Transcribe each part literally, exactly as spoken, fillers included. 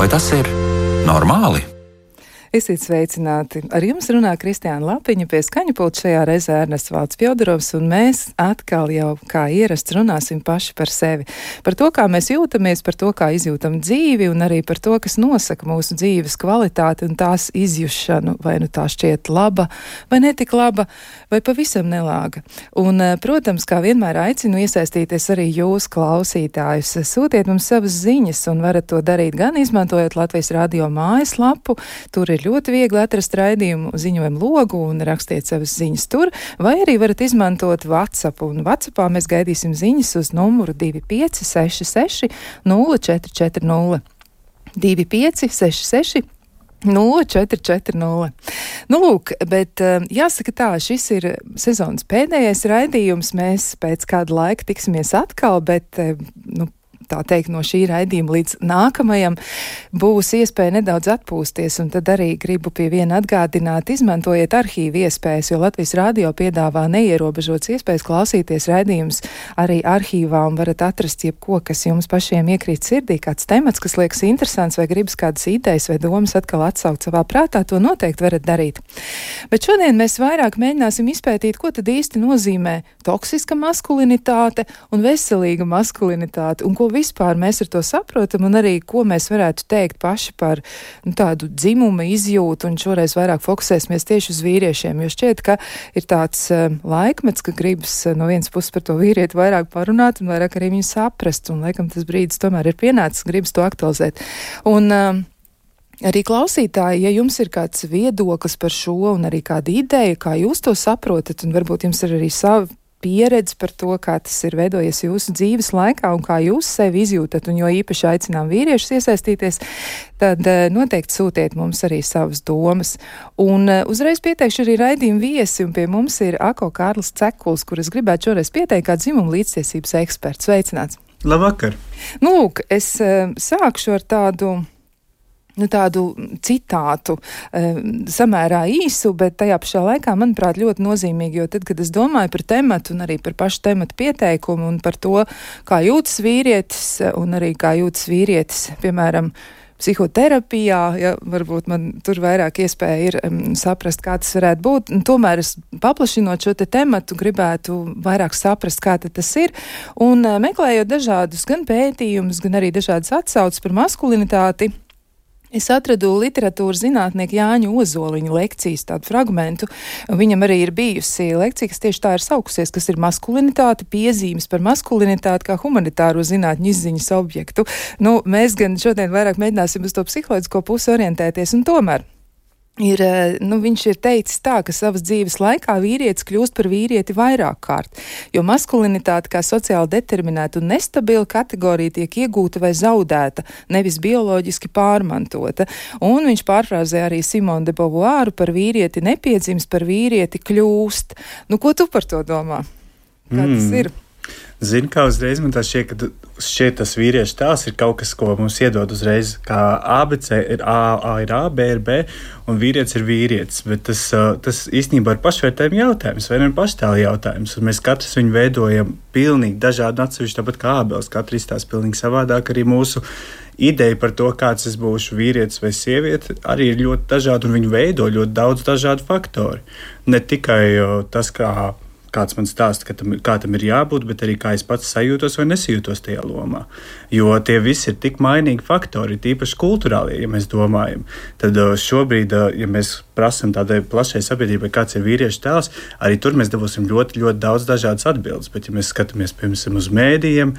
Vai tas ir normāli? Esiet sveicināti! Ar jums runā Kristiāna Lapiņa, pie skaņu pulta šajā reizē Ernests Valds Pjodorovs, un mēs atkal jau kā ierasts runāsim paši par sevi. Par to, kā mēs jūtamies, par to, kā izjūtam dzīvi, un arī par to, kas nosaka mūsu dzīves kvalitāti un tās izjušanu, vai nu tā šķiet laba, vai netik laba, vai pavisam nelāga. Un, protams, kā vienmēr aicinu iesaistīties arī jūs, klausītājus. Sūtiet mums savas ziņas, un varat to darīt gan izmantojot Latvijas radio mājaslapu, tur ir ļoti viegli atrast raidījumu ziņojumu logu un rakstiet savas ziņas tur, vai arī varat izmantot WhatsApp, un WhatsAppā mēs gaidīsim ziņas uz numuru divi pieci seši seši nulle četri četri nulle. divi pieci seši seši nulle četri četri nulle. Nu, lūk, bet jāsaka tā, šis ir sezonas pēdējais raidījums, mēs pēc kāda laika tiksimies atkal, bet, nu, tā teikt, no šī raidījuma līdz nākamajam būs iespēja nedaudz atpūsties, un tad arī gribu pie viena atgādināt, izmantojiet arhīvu iespējas, jo Latvijas radio piedāvā neierobežotas iespējas klausīties raidījumus arī arhīvā, un varat atrast jebko, kas jums pašiem iekrīt sirdī, kāds temats, kas liekas interesants, vai gribas kādas idejas vai domas atkal atsaukt savā prātā, to noteikti varat darīt. Bet šodien mēs vairāk mēģināsim izpētīt, ko tad īsti nozīmē toksiska maskulinitāte un veselīga maskulinitāte, un ko vispār mēs ar to saprotam, un arī, ko mēs varētu teikt paši par nu, tādu dzimuma izjūtu, un šoreiz vairāk fokusēsimies tieši uz vīriešiem, jo šķiet, ka ir tāds uh, laikmets, ka gribas uh, no vienas puses par to vīrieti vairāk parunāt, un vairāk arī viņu saprast, un laikam tas brīdis tomēr ir pienācis, gribas to aktualizēt. Un uh, arī klausītāji, ja jums ir kāds viedoklis par šo, un arī kāda ideja, kā jūs to saprotat, un varbūt jums ir arī savi pieredze par to, kā tas ir veidojies jūsu dzīves laikā un kā jūs sevi izjūtat, un jo īpaši aicinām vīriešus iesaistīties, tad noteikti sūtiet mums arī savas domas. Un uzreiz pieteikšu arī raidījumu viesi, un pie mums ir Ako Kārlis Cekuls, kur es gribētu šoreiz pieteikt kā dzimuma līdztiesības eksperts. Sveicināts! Labvakar! Nu, lūk, es sākšu ar tādu Nu, tādu citātu, e, samērā īsu, bet tajā pašā laikā, manuprāt, ļoti nozīmīgi, jo tad, kad es domāju par tematu un arī par pašu tematu pieteikumu un par to, kā jūtas vīrietis un arī kā jūtas vīrietis, piemēram, psihoterapijā, ja varbūt man tur vairāk iespēja ir um, saprast, kā tas varētu būt. Un tomēr es paplašinot šo te tematu gribētu vairāk saprast, kā tas ir. Un uh, meklējot dažādus gan pētījumus, gan arī dažādas atsauces par maskulinitāti, es atradu literatūras zinātnieku Jāņu Ozoliņa lekcijas tādu fragmentu. Viņam arī ir bijusi lekcija, kas tieši tā ir saukusies, kas ir maskulinitāte, piezīmes par maskulinitāti kā humanitāro zinātņu izziņas objektu. Nu, mēs gan šodien vairāk mēģināsim uz to psiholoģisko pusi orientēties, un tomēr Ir, nu, viņš ir teicis tā, ka savas dzīves laikā vīrietis kļūst par vīrieti vairāk kārt, jo maskulinitāte kā sociāli determinēta un nestabila kategorija tiek iegūta vai zaudēta, nevis bioloģiski pārmantota. Un viņš pārfrāzē arī Simone de Beauvoiru par vīrieti nepiedzims, par vīrieti kļūst. Nu, ko tu par to domā? Kā mm. tas ir? Zinu, kā uzreiz man tā šķiet, ka šķiet tas vīriešu tēls ir kaut kas, ko mums iedod uzreiz, kā A B C ir A, A ir A, B ir B, un vīrietis ir vīrietis, bet tas, tas īstenībā ir pašvērtējuma jautājums, vai ne paštēla jautājums, un mēs katrs viņu veidojam pilnīgi dažādi atsevišķi, tāpat kā ābeles, katrs izstāsta pilnīgi savādāk, arī mūsu ideja par to, kāds es būšu vīrietis vai sieviete, arī ir ļoti dažādi, un viņu veido ļoti daudz dažādu faktori. Ne tikai tas, kā kāds man stāsta, ka tam, kā tam ir jābūt, bet arī kā es pats sajūtos vai nesajūtos tajā lomā. Jo tie visi ir tik mainīgi faktori, tīpaši kulturālie, ja mēs domājam. Tad šobrīd, ja mēs prasam tādai plašai sabiedrībai, kāds ir vīriešu tēls, arī tur mēs dabūsim ļoti, ļoti daudz dažādas atbildes. Bet ja mēs skatāmies, piemēram, uz mēdījiem,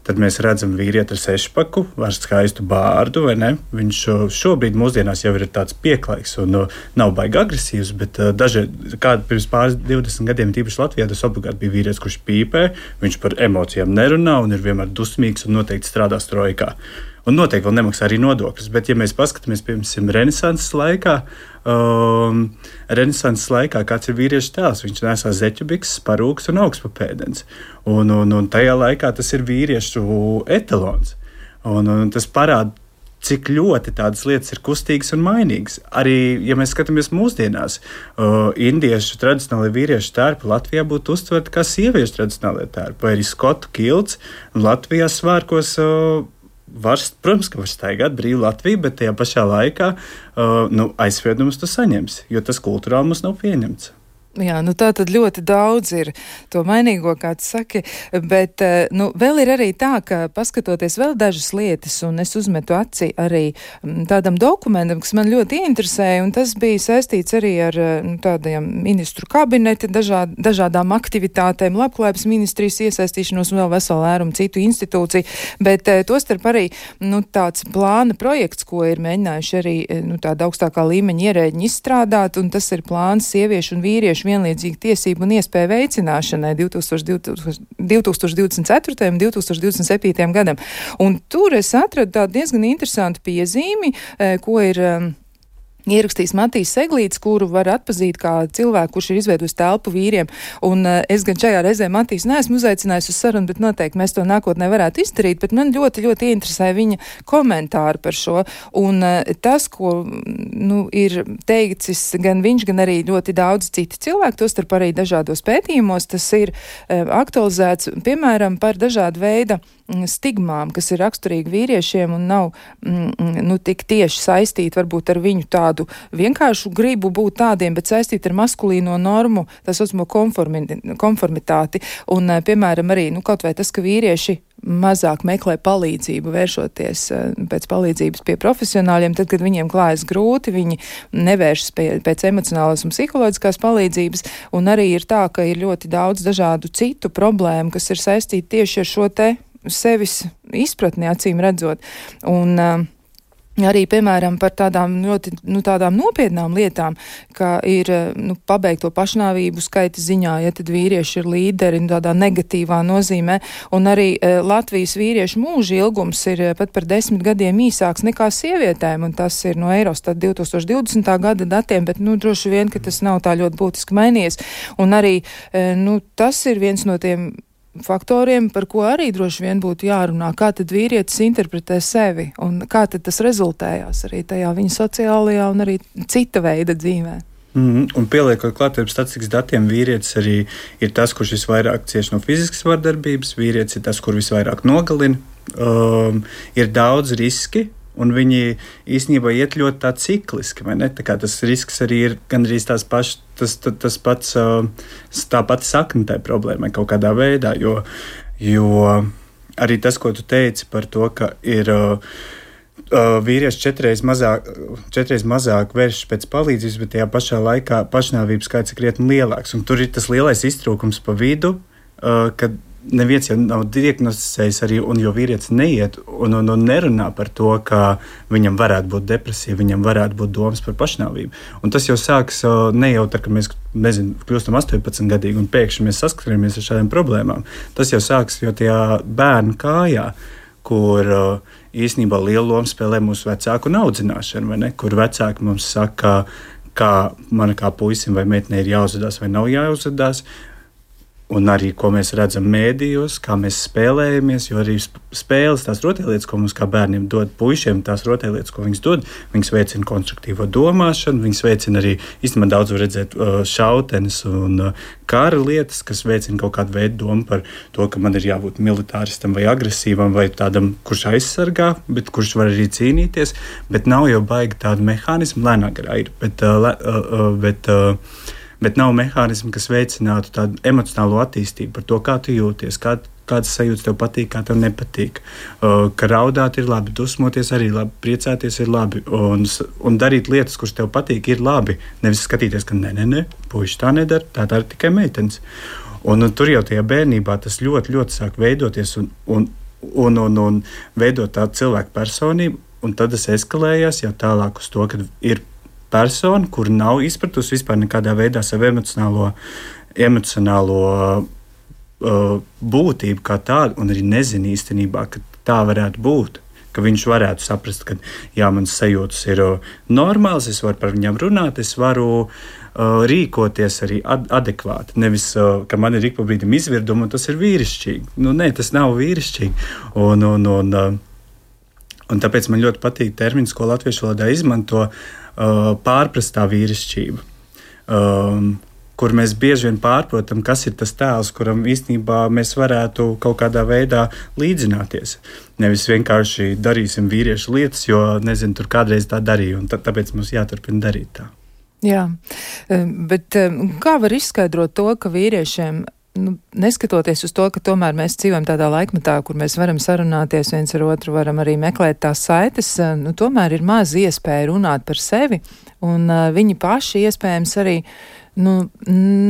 tad mēs redzam vīrieti ar sešpaku, ar skaistu bārdu, vai ne? Viņš šobrīd mūsdienās jau ir tāds pieklaiks un uh, nav baigi agresīvs, bet uh, daži, kādi pirms pāris divdesmit gadiem, tīpaši Latvijā, tas obligāti bija vīrietis, kurš pīpē, viņš par emocijām nerunā un ir vienmēr dusmīgs un noteikti strādā strojkā. Un noteikti vēl nemaksā arī nodokļus, bet ja mēs paskatāmies, piemēram, renesanses laikā, um, renesanses laikā kāds ir vīriešu tēls, viņš nesā zeķubikses, parūks un augstpapēdens. Un, un, un tajā laikā tas ir vīriešu etalons. Un, un tas parāda, cik ļoti tādas lietas ir kustīgas un mainīgas. Arī, ja mēs skatāmies mūsdienās, uh, indiešu tradicionālajie vīriešu tērpi Latvijā būtu uztverti kā sieviešu tradicionālajie tērpi, vai arī skotu kilts, un Latvijā svārkos uh, var, protams, ka var staigāt brīvu Latviju, bet tajā pašā laikā uh, nu, aizspriedumus tu saņemsi, jo tas kultūrāli mums nav pieņemts. Jā, nu tā tad ļoti daudz ir to mainīgo, kā tu saki, bet nu, vēl ir arī tā, ka paskatoties vēl dažas lietas, un es uzmetu aci arī tādam dokumentam, kas man ļoti interesēja, un tas bija saistīts arī ar nu, tādiem ministru kabineti, dažād, dažādām aktivitātēm, labklājības ministrijas iesaistīšanos un vēl veselu ērumu citu institūciju, bet tostarp arī nu, tāds plāna projekts, ko ir mēģinājuši arī nu, tāda augstākā līmeņa ierēģi izstrādāt, un tas ir plāns sieviešu un vīriešu vienlīdzīgu tiesību un iespēju veicināšanai divtūkstoš divdesmit ceturtajam un divtūkstoš divdesmit septītajam gadam. Un tur es atradu tādu diezgan interesantu piezīmi, ko ir ierakstījis Matīs Seglīts, kuru var atpazīt kā cilvēku, kurš ir izveidojis telpu vīriem. Un uh, es gan šajā reizē Matīs neesmu uzaicinājis uz sarunu, bet noteikti mēs to nākotnē varētu izdarīt, bet man ļoti, ļoti interesē viņa komentāri par šo. Un uh, tas, ko nu, ir teicis gan viņš, gan arī ļoti daudz citi cilvēki, tostarp arī dažādos pētījumos, tas ir uh, aktualizēts, piemēram, par dažādu veidu stigmām, kas ir raksturīgi vīriešiem un nav mm, nu, tik tieši saistīti varbūt ar viņu tādu vienkāršu gribu būt tādiem, bet saistīti ar maskulīno normu, tā saucamo konformi, konformitāti. Un, piemēram, arī nu, kaut vai tas, ka vīrieši mazāk meklē palīdzību, vēršoties pēc palīdzības pie profesionāļiem, tad, kad viņiem klājas grūti, viņi nevēršas pie, pēc emocionālās un psiholoģiskās palīdzības, un arī ir tā, ka ir ļoti daudz dažādu citu problēmu, kas ir saistīti tieši ar šo te sevis izpratni, acīm redzot. Un uh, arī, piemēram, par tādām ļoti nu, tādām nopietnām lietām, ka ir nu, pabeigto pašnāvību skaita ziņā, ja tad vīrieši ir līderi nu, tādā negatīvā nozīmē, un arī e, Latvijas vīriešu mūža ilgums ir e, pat par desmit gadiem īsāks nekā sievietēm, un tas ir no Eurostat divtūkstoš divdesmitā gada datiem, bet nu, droši vien, ka tas nav tā ļoti būtiski mainījies, un arī e, nu, tas ir viens no tiem faktoriem, par ko arī droši vien būtu jārunā, kā tad vīrietis interpretē sevi un kā tad tas rezultējās arī tajā viņa sociālajā un arī cita veida dzīvē. Mm, un pieliekot klāt ar statistikas datiem, vīrietis arī ir tas, kurš visvairāk cieš no fiziskas vardarbības, vīrietis ir tas, kur visvairāk nogalina, um, ir daudz riski, un viņi īstenībā iet ļoti tā cikliski, vai ne? Tā kā tas risks arī ir gandrīz tās pašas, tas, tas, tas pats, tā pati sakne tai problēmai kaut kādā veidā, jo, jo arī tas, ko tu teici par to, ka ir uh, vīrieši četreiz mazāk, četreiz mazāk vēršas pēc palīdzības, bet tajā pašā laikā pašnāvības skaits ir krietni lielāks, un tur ir tas lielais iztrūkums pa vidu, uh, kad neviens jau nav diagnosticējis arī, un jo vīrietis neiet un, un, un nerunā par to, ka viņam varētu būt depresija, viņam varētu būt domas par pašnāvību. Un tas jau sāks ne jau tā, ka mēs, nezinu, kļūstam astoņpadsmitgadīgi un pēkšņi mēs saskaramies ar šādām problēmām. Tas jau sāks jau tajā bērnu kājā, kur īstenībā lielu lomu spēlē mūsu vecāku audzināšana, vai ne? Kur vecāki mums saka, kā man kā puisim vai meitenei ir jāuzvedās vai nav jāuzvedās. Un arī, ko mēs redzam mēdījos, kā mēs spēlējamies, jo arī spēles, tās rotaļlietas, ko mums kā bērniem dod, puišiem, tās rotaļlietas, ko viņas dod, viņas veicina konstruktīvo domāšanu, viņas veicina arī, īstenībā daudz var redzēt šautenes un kara lietas, kas veicina kaut kādu veidu domu par to, ka man ir jābūt militāristam vai agresīvam vai tādam, kurš aizsargā, bet kurš var arī cīnīties, bet nav jau baigi tādu mehānismu, lēnā garā ir, bet, bet bet nav mehānismu, kas veicinātu tādu emocionālo attīstību par to, kā tu jūties, kā, kādas sajūtas tev patīk, kā tev nepatīk. Uh, ka raudāt ir labi, dusmoties arī labi, priecāties ir labi, un, un darīt lietas, kuras tev patīk, ir labi. Nevis skatīties, ka nē, nē, nē, puiši tā nedara, tā tā ir tikai meitenes. Un, un tur jau tajā bērnībā tas ļoti, ļoti sāk veidoties un, un, un, un, un veidot tādu cilvēku personību, un tad tas eskalējās jau tālāk uz to, ka ir persona, kur nav izpratusi vispār nekādā veidā savu emocionālo, emocionālo uh, būtību kā tādu, un arī nezina īstenībā, ka tā varētu būt. Ka viņš varētu saprast, ka jā, mans sajūtas ir uh, normāls, es varu par viņām runāt, es varu uh, rīkoties arī ad- adekvāti. Nevis, uh, ka man ir ik pa brīdim izvirduma, un tas ir vīrišķīgi. Nu, nē, tas nav vīrišķīgi. Un, un, un, uh, un tāpēc man ļoti patīk termins, ko latviešu valodā izmanto, Uh, pārprastā vīrišķība. Um, kur mēs bieži vien pārprotam, kas ir tas tēls, kuram īstenībā mēs varētu kaut kādā veidā līdzināties. Nevis vienkārši darīsim vīriešu lietas, jo, nezinu, tur kādreiz tā darīja, un tāpēc mums jāturpina darīt tā. Jā, bet kā var izskaidrot to, ka vīriešiem, nu, neskatoties uz to, ka tomēr mēs dzīvojam tādā laikmetā, kur mēs varam sarunāties viens ar otru, varam arī meklēt tās saites, nu, tomēr ir maz iespēja runāt par sevi, un uh, viņi paši iespējams arī nu,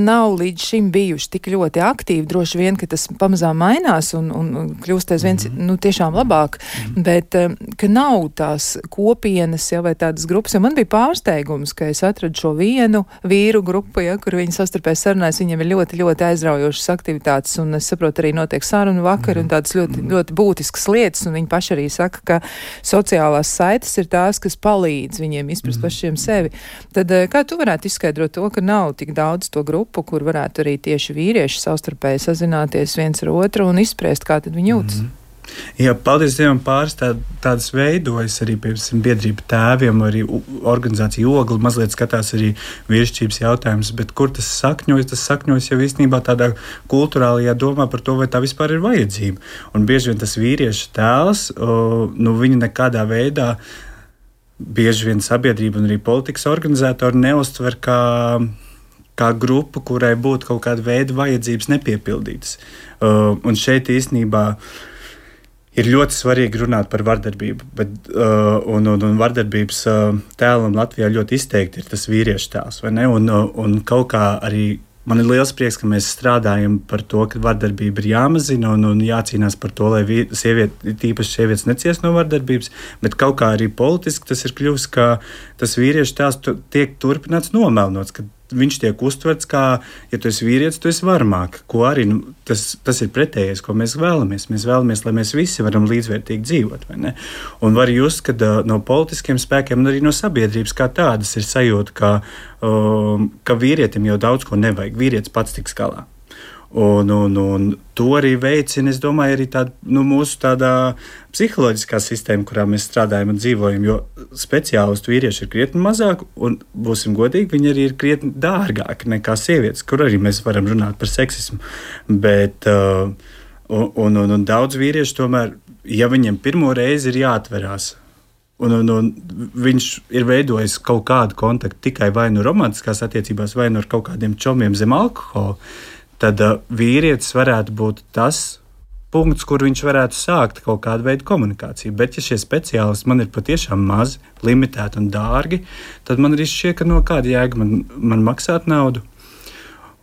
nav līdz šim bijuši tik ļoti aktīvi. Droši vien, ka tas pamazām mainās un, un, un kļūst aizvien mm-hmm. nu, tiešām labāk, mm-hmm. bet ka nav tās kopienas ja, vai tādas grupas. Jo man bija pārsteigums, ka es atradu šo vienu vīru grupu, ja, kur viņi sastarpēs sarunājas, viņiem ir ļoti, ļoti aizraujošas aktivitātes, un es saprotu, arī notiek sarunu vakar mm-hmm. un tādas ļoti, ļoti būtiskas lietas, un viņi paši arī saka, ka sociālās saites ir tās, kas palīdz viņiem izprast mm-hmm. pašiem sevi. Tad kā tu varētu izskaidrot to, ka nav tik daudz to grupu, kur varētu arī tieši vīrieši savstarpēji sazināties viens ar otru un izspriest, kā tad viņi jūtas? Mm-hmm. Jā, paldies Dievam, pāris tā, tādas veidojas arī, piemēram, biedrība tēviem, arī organizācija Ogli mazliet skatās arī vīrišķības jautājumus, bet kur tas sakņojas, tas sakņojas jau īstenībā tādā kulturālajā domā par to, vai tā vispār ir vajadzība. Un bieži vien tas vīriešu tēls, nu, viņi nekādā veidā bieži vien sabiedrība un arī politikas organizatori neuztver kā kā grupu, kurai būtu kaut kāda veida vajadzības nepiepildītas. Uh, un šeit īstenībā ir ļoti svarīgi runāt par vardarbību, bet, uh, un, un, un vardarbības uh, tēlam Latvijā ļoti izteikti ir tas vīriešu tēls, vai ne? Un, uh, un kaut kā arī man ir liels prieks, ka mēs strādājam par to, ka vardarbība ir jāmazina un, un jācīnās par to, lai sievieti, tīpaši sievietes neciest no vardarbības, bet kaut kā arī politiski tas ir kļuvis, ka tas vīriešu tēls tiek turpināts nomelnots, ka viņš tiek uztverts kā, ja tu esi vīrietis, tu esi varmāk, ko arī nu, tas, tas ir pretējais, ko mēs vēlamies. Mēs vēlamies, lai mēs visi varam līdzvērtīgi dzīvot, vai ne? Un var just, ka uh, no politiskiem spēkiem un arī no sabiedrības kā tādas ir sajūta, ka, uh, ka vīrietim jau daudz ko nevajag. Vīrietis pats tiks galā. Un, un, un to arī veicina, es domāju, arī tāda, nu, mūsu tādā psiholoģiskā sistēma, kurā mēs strādājam un dzīvojam, jo speciālistu vīrieši ir krietni mazāk, un, būsim godīgi, viņi arī ir krietni dārgāki nekā sievietes, kur arī mēs varam runāt par seksismu. Bet, uh, un, un, un, un daudz vīrieši tomēr, ja viņiem pirmo reizi ir jāatverās, un, un, un viņš ir veidojis kaut kādu kontaktu tikai vai nu romantiskās attiecībās, vai nu ar kaut kādiem čomiem zem alkohola, tad uh, vīrietis varētu būt tas punkts, kur viņš varētu sākt kaut kādu veidu komunikāciju. Bet, ja šie speciālisti man ir patiešām mazi, limitēti un dārgi, tad man arī šķiet, ka no kāda jēga man, man maksāt naudu.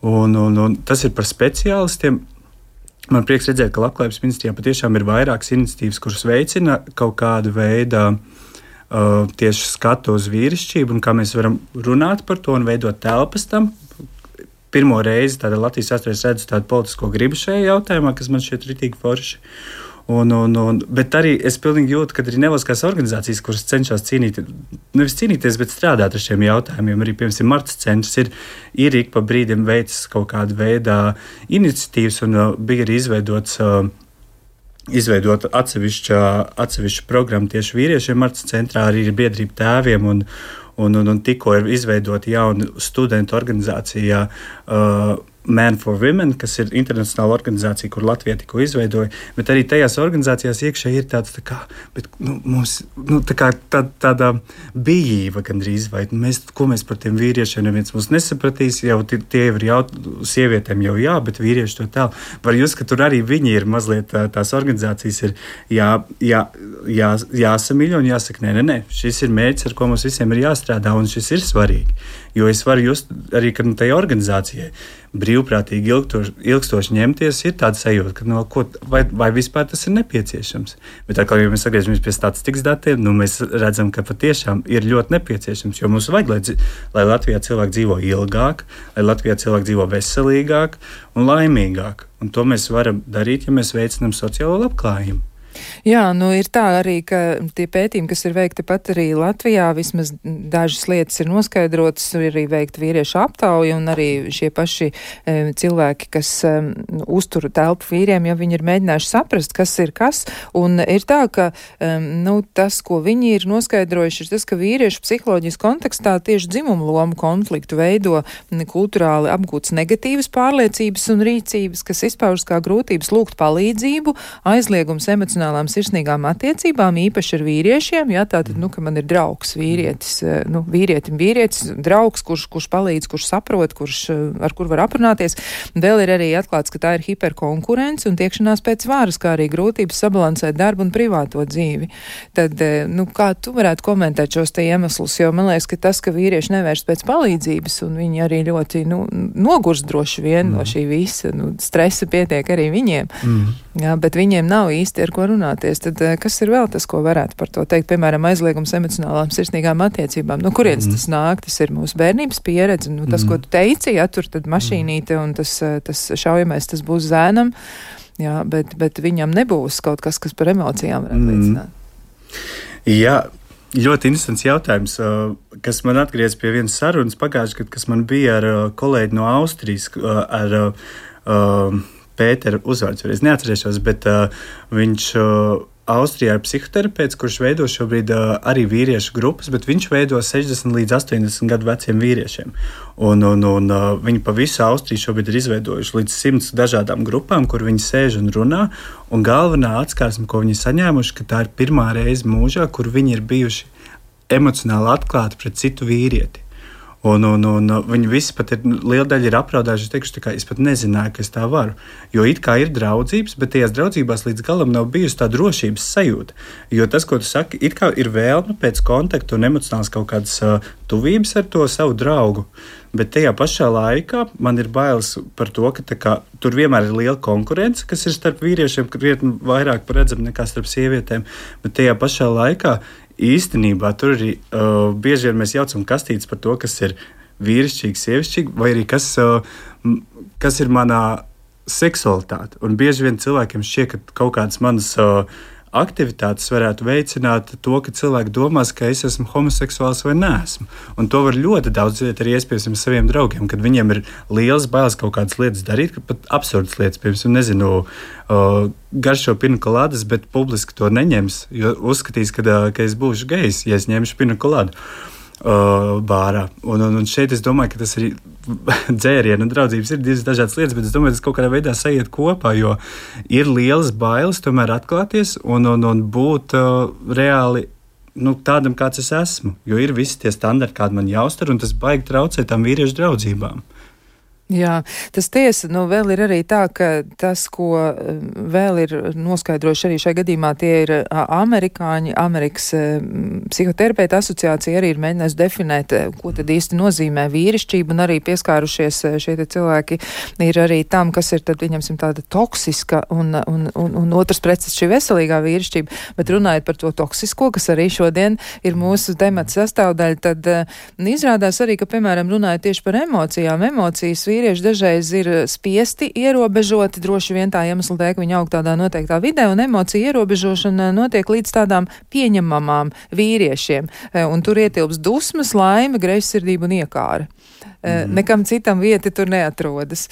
Un, un, un tas ir par speciālistiem. Man prieks redzēt, ka Labklājības ministrijā patiešām ir vairākas iniciatīvas, kuras veicina kaut kādu veidu uh, tieši skatu uz vīrišķību un kā mēs varam runāt par to un veidot telpas tam. Pirmo reizi tādā Latvijas vēsturē redzu tādu politisko gribu šajā jautājumā, kas man šķiet ritīgi forši. Un, un, un, bet arī es pilnīgi jūtu, ka arī nevalstiskās organizācijas, kuras cenšas cīnīt, nevis cīnīties, bet strādāt ar šiem jautājumiem, arī, piemēram, Martas centrs ir, ir ik pa brīdim veicis kaut kādu veidā iniciatīvas un uh, bija arī izveidots uh, izveidot atsevišķa, atsevišķa programma tieši vīriešiem. Martas centrā arī ir biedrība tēviem un Un, un, un tikko ir izveidota jauna studentu organizācija uh, Man for Women, kas ir internacionāla organizācija, kur Latvija tikko izveidoja, bet arī tajās organizācijās iekšēji ir tāds tā kā, bet, nu, mums, nu, tā kā tā, tāda bijība gandrīz, vai mēs, ko mēs par tiem vīriešiem neviens mums nesapratīs, jau tie, tie ir jau, sievietēm jau jā, bet vīrieši to tālu. Var jūs, ka tur arī viņi ir mazliet, tās organizācijas ir jā, jā, jā, jāsamīļo un jāsaka, nē, nē, nē, šis ir mērķis, ar ko mums visiem ir jāstrādā, un šis ir svarīgi. Jo es varu just arī, ka nu, tai organizācijai brīvprātīgi ilgstoši, ilgstoši ņemties, ir tāda sajūta, ka no, ko, vai, vai vispār tas ir nepieciešams. Bet atkal, ja mēs atgriežamies pie statistikas datiem, nu, mēs redzam, ka patiešām ir ļoti nepieciešams, jo mums vajag, lai, lai Latvijā cilvēki dzīvo ilgāk, lai Latvijā cilvēki dzīvo veselīgāk un laimīgāk. Un to mēs varam darīt, ja mēs veicinām sociālo labklājību. Jā, nu ir tā arī, ka tie pētījumi, kas ir veikti pat arī Latvijā, vismaz dažas lietas ir noskaidrotas, ir arī veikta vīriešu aptauja, un arī šie paši e, cilvēki, kas e, uztur telpu vīriem, ja viņi ir mēģinājuši saprast, kas ir kas, un ir tā, ka e, nu, tas, ko viņi ir noskaidrojuši, ir tas, ka vīriešu psiholoģijas kontekstā tieši dzimumu lomu konfliktu veido kulturāli apgūtas negatīvas pārliecības un rīcības, kas izpaužas kā grūtības lūgt palīdzību, aizliegums emocionāli sirsnīgām attiecībām, īpaši ar vīriešiem, jā, tātad, nu, ka man ir draugs vīrietis, nu, vīrietim vīrietis, draugs, kurš, kurš palīdz, kurš saprot, kurš, ar kur var aprunāties. Vēl ir arī atklāts, ka tā ir hiperkonkurence un tiekšanās pēc varas, kā arī grūtības sabalansēt darbu un privāto dzīvi. Tad, nu, kā tu varētu komentēt šos te iemeslus, jo man liekas, ka tas, ka vīrieši nevērš pēc palīdzības un viņi arī ļoti, nu, nogurs droši vien mm. no šī visa, nu, stresa pietiek arī viņiem, mm. jā, bet viņiem nav īsti ar ko runāties, tad kas ir vēl tas, ko varētu par to teikt? Piemēram, aizliegums emocionālām sirsnīgām attiecībām. Nu, kurienes mm. tas nāk? Tas ir mūsu bērnības pieredze. Nu, tas, mm. ko tu teici, ja tur tad mašīnīte un tas, tas šaujamais, tas būs zēnam, jā, bet, bet viņam nebūs kaut kas, kas par emocijām varētu liecināt. Mm. Jā, ļoti interesants jautājums, kas man atgriez pie vienas sarunas pagājušajā gadā, kas man bija ar kolēģi no Austrijas, ar uh, Pētera uzvārds, es neatcerēšos, bet uh, viņš uh, Austrijā ir psihoterapeits, kurš veido šobrīd uh, arī vīriešu grupas, bet viņš veido sešdesmit līdz astoņdesmit gadu veciem vīriešiem. Un, un, un uh, viņi pa visu Austriju šobrīd ir izveidojuši līdz simts dažādām grupām, kur viņi sēž un runā. Un galvenā atskarsme, ko viņi saņēmuši, ka tā ir pirmā reize mūžā, kur viņi ir bijuši emocionāli atklāti pret citu vīrieti. Un, un, un viņi visi pat ir, liela daļa ir apraudājuši, teikuši, ka es pat nezināju, ka es tā varu. Jo it kā ir draudzības, bet tajās draudzībās līdz galam nav bijusi tā drošības sajūta. Jo tas, ko tu saki, it kā ir vēlme pēc kontakta un emocionāls kaut kādas uh, tuvības ar to savu draugu. Bet tajā pašā laikā man ir bailes par to, ka kā, tur vienmēr ir liela konkurence, kas ir starp vīriešiem, krietni vairāk redzama nekā starp sievietēm. Bet tajā pašā laikā īstenībā tur arī uh, bieži vien mēs jaucam kastītes par to, kas ir vīrišķīgi, sievišķīgi, vai arī kas, uh, kas ir manā seksualitāte. Un bieži vien cilvēkiem šķiet, ka kaut kādas manas uh, aktivitātes varētu veicināt to, ka cilvēki domās, ka es esmu homoseksuāls vai neesmu. Un to var ļoti daudz dzirdēt arī iespējams saviem draugiem, kad viņiem ir liels bailes kaut kādas lietas darīt, pat absurdas lietas, piemēram, nezinu, uh, garšo pinakolādes, bet publiski to neņems, jo uzskatīs, ka, uh, ka es būšu gejs, ja es ņemšu pinakolādu uh, bārā. Un, un, un šeit es domāju, ka tas arī dzērienu un draudzības ir divas dažādas lietas, bet es domāju, ka tas kaut kādā veidā sajiet kopā, jo ir lielas bailes tomēr atklāties un, un, un būt uh, reāli nu, tādam, kāds es esmu. Jo ir visi tie standarti, kādi man jāuztver, un tas baigi traucē tām vīriešu draudzībām. Jā, tas tiesa, nu vēl ir arī tā, ka tas, ko vēl ir noskaidrojuši arī šajā gadījumā, tie ir amerikāņi, Amerikas psihoterapeita asociācija arī ir mēģinājusi definēt, ko tad īsti nozīmē vīrišķība, un arī pieskārušies šie te cilvēki ir arī tam, kas ir tad, viņamsim, tāda toksiska un, un, un, un otrs preces šī veselīgā vīrišķība, bet runājot par to toksisko, kas arī šodien ir mūsu temata sastāvdaļa, tad izrādās arī, ka, piemēram, runājot tieši par emocijām, emocijas vīrieši dažreiz ir spiesti ierobežoti, droši vien tā iemesla dēļ, ka viņi aug tādā noteiktā vidē, un emocija ierobežošana notiek līdz tādām pieņemamām vīriešiem. Un tur ietilps dusmas, laime, greizsirdība un iekāra. Mm. Nekam citam vieta tur neatrodas.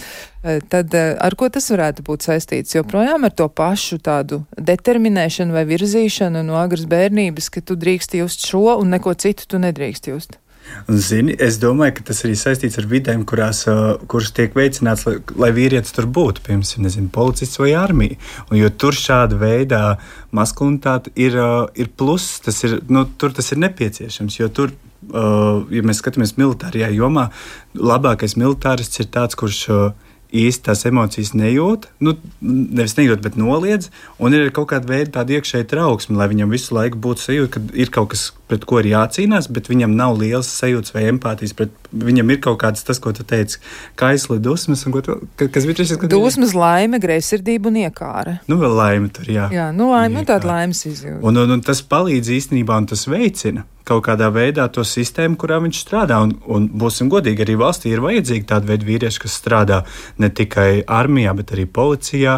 Tad ar ko tas varētu būt saistīts? Joprojām ar to pašu tādu determinēšanu vai virzīšanu no agras bērnības, ka tu drīkst just šo un neko citu tu nedrīkst just. Un, zini, es domāju, ka tas arī saistīts ar vidēm, kurās, uh, kuras tiek veicināts, lai, lai vīrietis tur būtu, piemēram, nezinu, policists vai armija. Un, jo tur šāda veidā maskulinitāte ir, uh, ir pluss, tas ir, nu, tur tas ir nepieciešams, jo tur, uh, ja mēs skatāmies militārajā jomā, labākais militārists ir tāds, kurš uh, īsti tās emocijas nejūt, nu, nevis nejūt, bet noliedz, un ir kaut kāda veida tāda iekšēja trauksme, lai viņam visu laiku būtu sajūta, ka ir kaut kas, pret ko ir jācīnās, bet viņam nav liels sajūtas vai empātijas, pret viņam ir kaut kāds tas, ko tu teici, kaisli, dusmas, un ko tu, kas bija trešais? Dusmas, laime, greizsirdība un iekāra. Nu, vēl laime tur, jā. Jā, nu, laime, nu, tāda laimes izjūta. Un, un, un tas palīdz īstenībā, un tas veicina kaut kādā veidā to sistēmu, kurā viņš strādā. Un, un būsim godīgi, arī valstī ir vajadzīgi tādi veidi vīrieši, kas strādā ne tikai armijā, bet arī policijā,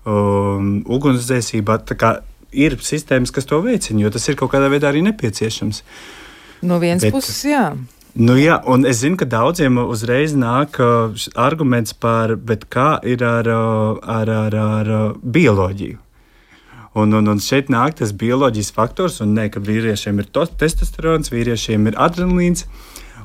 um, ugunsdzēsībā. Tā kā ir sistēmas, kas to veicina, jo tas ir kaut kādā veidā arī nepieciešams. No vienas Bet, puses, jā. Nu jā, un es zinu, ka daudziem uzreiz nāk uh, arguments par, bet kā ir ar, uh, ar, ar, ar uh, bioloģiju. Un, un, un šeit nāk tas bioloģijas faktors, un ne, ka vīriešiem ir tos, testosterons, vīriešiem ir adrenalīns.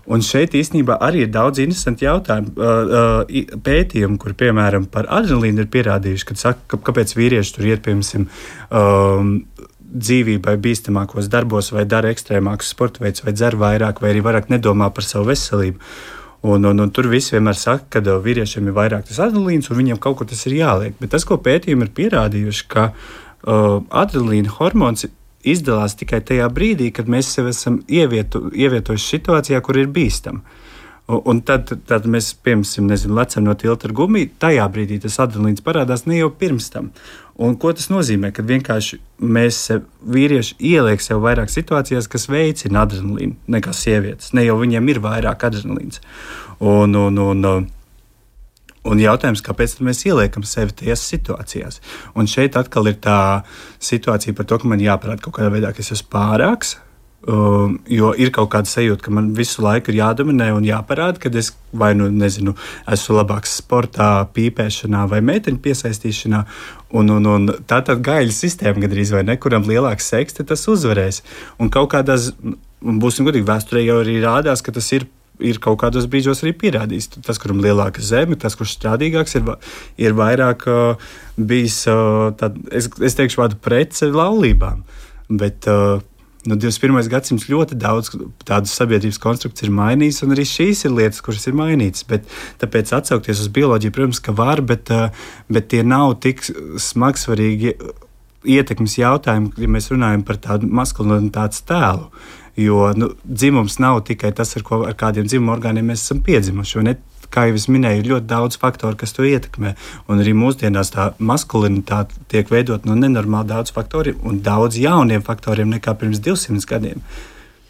Un šeit īstenībā arī ir daudz interesanti jautājumi, uh, uh, pētījumi, kur piemēram par adrenalīnu ir pierādījuši, kad saka, ka, kāpēc vīrieši tur iet, piemēram, um, dzīvībai bīstamākos darbos, vai dara ekstrēmākus sporta veidus, vai dzer vairāk, vai arī vairāk nedomā par savu veselību. Un, un, un tur viss vienmēr saka, ka vīriešiem ir vairāk tas adrenalīns, un viņiem kaut kur tas ir jāliek. Bet tas, ko pētījumi ir pierādījuši, ka uh, adrenalīna hormons izdalās tikai tajā brīdī, kad mēs sevi esam ievietu, ievietojuši situācijā, kur ir bīstama. Un tad, tad mēs, piemēram, nezinu, lecam no tilta ar gumiju, tajā brīdī tas adrenalīns parādās ne jau pirms tam. Un ko tas nozīmē? Kad vienkārši mēs sev, vīrieši ieliek sev vairāk situācijās, kas veicina adrenalīnu nekā sievietes. Ne jau viņiem ir vairāk adrenalīns. Un, un, un, un jautājums, kāpēc mēs ieliekam sevi tajās situācijās? Un šeit atkal ir tā situācija par to, ka man jāparāda kaut kādā veidā, ka es esmu pārāks. Um, jo ir kaut kāda sajūta, ka man visu laiku ir jādominē un jāparāda, ka es vai nu nezinu, esmu labāks sportā, pīpēšanā vai meiteņu piesaistīšanā. Un, un, un tā tad gaļa sistēma gandrīz vai ne, kuram lielāks seks, tas uzvarēs. Un kaut kādās, būsim godīgi, vēsturē jau arī rādās, ka tas ir, ir kaut kādos brīžos arī pierādījis. Tas, kuram lielāka zeme, tas, kurš strādīgāks, ir, ir vairāk uh, bijis, uh, tad, es, es teikšu vārdu pret laulībām. Bet uh, Nu, divdesmit pirmais gadsimts ļoti daudz tādu sabiedrības konstrukciju ir mainījis, un arī šīs ir lietas, kuras ir mainītas. Bet, tāpēc atsaukties uz bioloģiju, protams, ka var, bet, bet tie nav tik smagsvarīgi ietekmes jautājumi, ja mēs runājam par tādu maskulinitātes tēlu. Jo nu, dzimums nav tikai tas, ar, ko, ar kādiem dzimuma orgāniem mēs esam piedzimuši. Kā jau es minēju, ir ļoti daudz faktoru, kas to ietekmē. Un arī mūsdienās tā maskulinitāte tiek veidot no nenormāli daudz faktoriem un daudz jauniem faktoriem nekā pirms divsimt gadiem.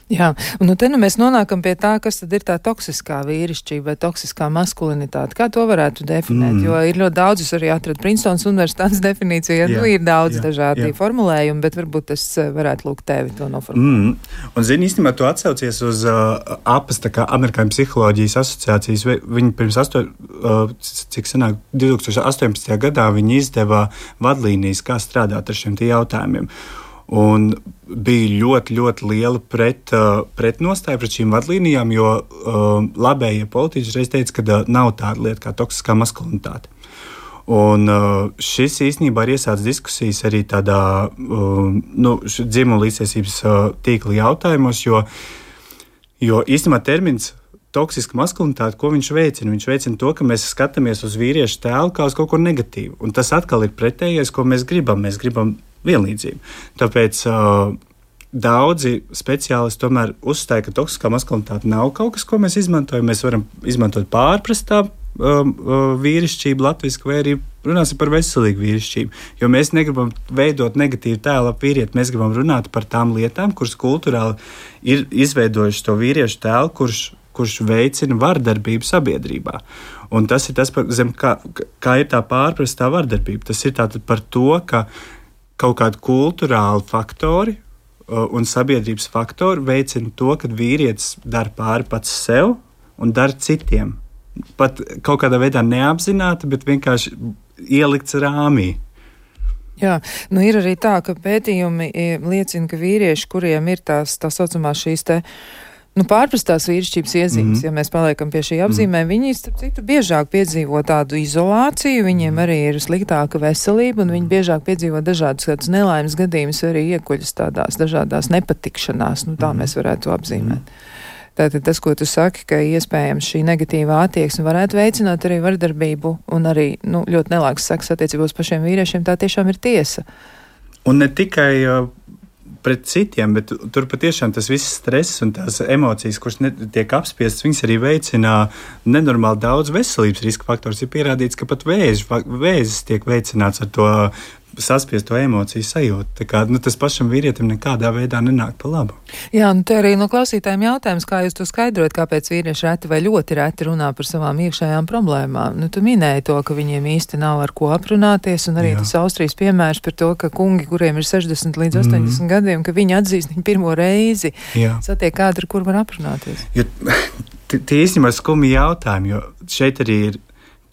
Jā, un nu te nu mēs nonākam pie tā, kas tad ir tā toksiskā vīrišķība vai toksiskā maskulinitāte. Kā to varētu definēt? Mm. Jo ir ļoti daudz, es arī atradu Princetons universitātes definīciju, ja jā, nu ir daudz jā, dažādi jā. formulējumi, bet varbūt es varētu lūgt tevi to noformulēt. Mm. Un zini, īstenībā tu atsaucies uz uh, A P A S, tā kā Amerikāņu psiholoģijas asociācijas. Viņi pirms asto, uh, cik sanāk, divi tūkstoši astoņpadsmitajā gadā viņi izdeva vadlīnijas, kā strādāt ar šiem tie jautājumiem. Un bija ļoti, ļoti liela pret, uh, pretnostāja pret šīm vadlīnijām, jo uh, labējie politiķi reiz teica, ka uh, nav tāda lieta kā toksiskā maskulinitāte. Un uh, šis īstenībā ir iesācis diskusijas arī tādā uh, nu, dzimuma līdztiesības uh, tīkla jautājumos, jo, jo īstenībā termins toksiska maskulinitāte, ko viņš veicina? Viņš veicina to, ka mēs skatāmies uz vīriešu tēlu kā uz kaut ko negatīvu. Un tas atkal ir pretējais, ko mēs gribam. Mēs gribam vienlīdzību. Tāpēc uh, daudzi speciālisti tomēr uzstāja, ka toksiskā maskulinitāte nav kaut kas, ko mēs izmantojam. Mēs varam izmantot pārprastā uh, uh, vīrišķību latviski, vai arī runāsim par veselīgu vīrišķību. Jo mēs negribam veidot negatīvu tēlu ap vīrieti, mēs gribam runāt par tām lietām, kuras kultūrāli ir izveidojuši to vīriešu tēlu, kurš kurš veicina vardarbību sabiedrībā. Un tas ir tas, par, zem, kā, kā ir tā pārprastā vardarbība. Tas ir tātad par to, ka kaut kādi kultūrāli faktori uh, un sabiedrības faktori veicina to, ka vīrietis dara pāri pats sev un dara citiem. Pat kaut kādā veidā neapzināti, bet vienkārši ielikts rāmī. Jā, nu ir arī tā, ka pētījumi liecina, ka vīrieši, kuriem ir tās tā saucamās šīs te Nu, pārprastās vīrišķības iezīmes, mm-hmm. ja mēs paliekam pie šī apzīmē, mm-hmm. viņi, starp citu, biežāk piedzīvo tādu izolāciju, viņiem arī ir sliktāka veselība, un viņi biežāk piedzīvo dažādus kādus nelaimes gadījumus, arī iekuļas tādās dažādās nepatikšanās, nu tā mm-hmm. mēs varētu to apzīmēt. Tātad tas, ko tu saki, ka iespējams šī negatīvā attieksme varētu veicināt arī vardarbību un arī, nu, ļoti nelāks sekas attiecībos pašiem vīriešiem, tā tiešām ir tiesa. Un ne tikai uh... pret citiem, bet tur patiešām tas viss stress un tās emocijas, kuras tiek apspiestas, viņas arī veicina nenormāli daudz veselības riska faktors. Ir pierādīts, ka pat vēzi, vēzis tiek veicināts ar to saspiest to emociju sajūtu. Tā kā, nu, tas pašam vīrietim nekādā veidā nenāk pa labu. Jā, nu te arī no klausītājiem jautājums, kā jūs to skaidrot, kāpēc vīrieši reti vai ļoti reti runā par savām iekšējām problēmām. Nu, tu minēji to, ka viņiem īsti nav ar ko aprunāties, un arī Jā. Tas Austrijas piemērs par to, ka kungi, kuriem ir sešdesmit līdz astoņdesmit mm. gadiem, ka viņi atzīst viņu pirmo reizi, Jā. Satiek kādu, ar kur var aprunāties. Jo, tie īstenībā skumji jautājumi, jo šeit arī ir,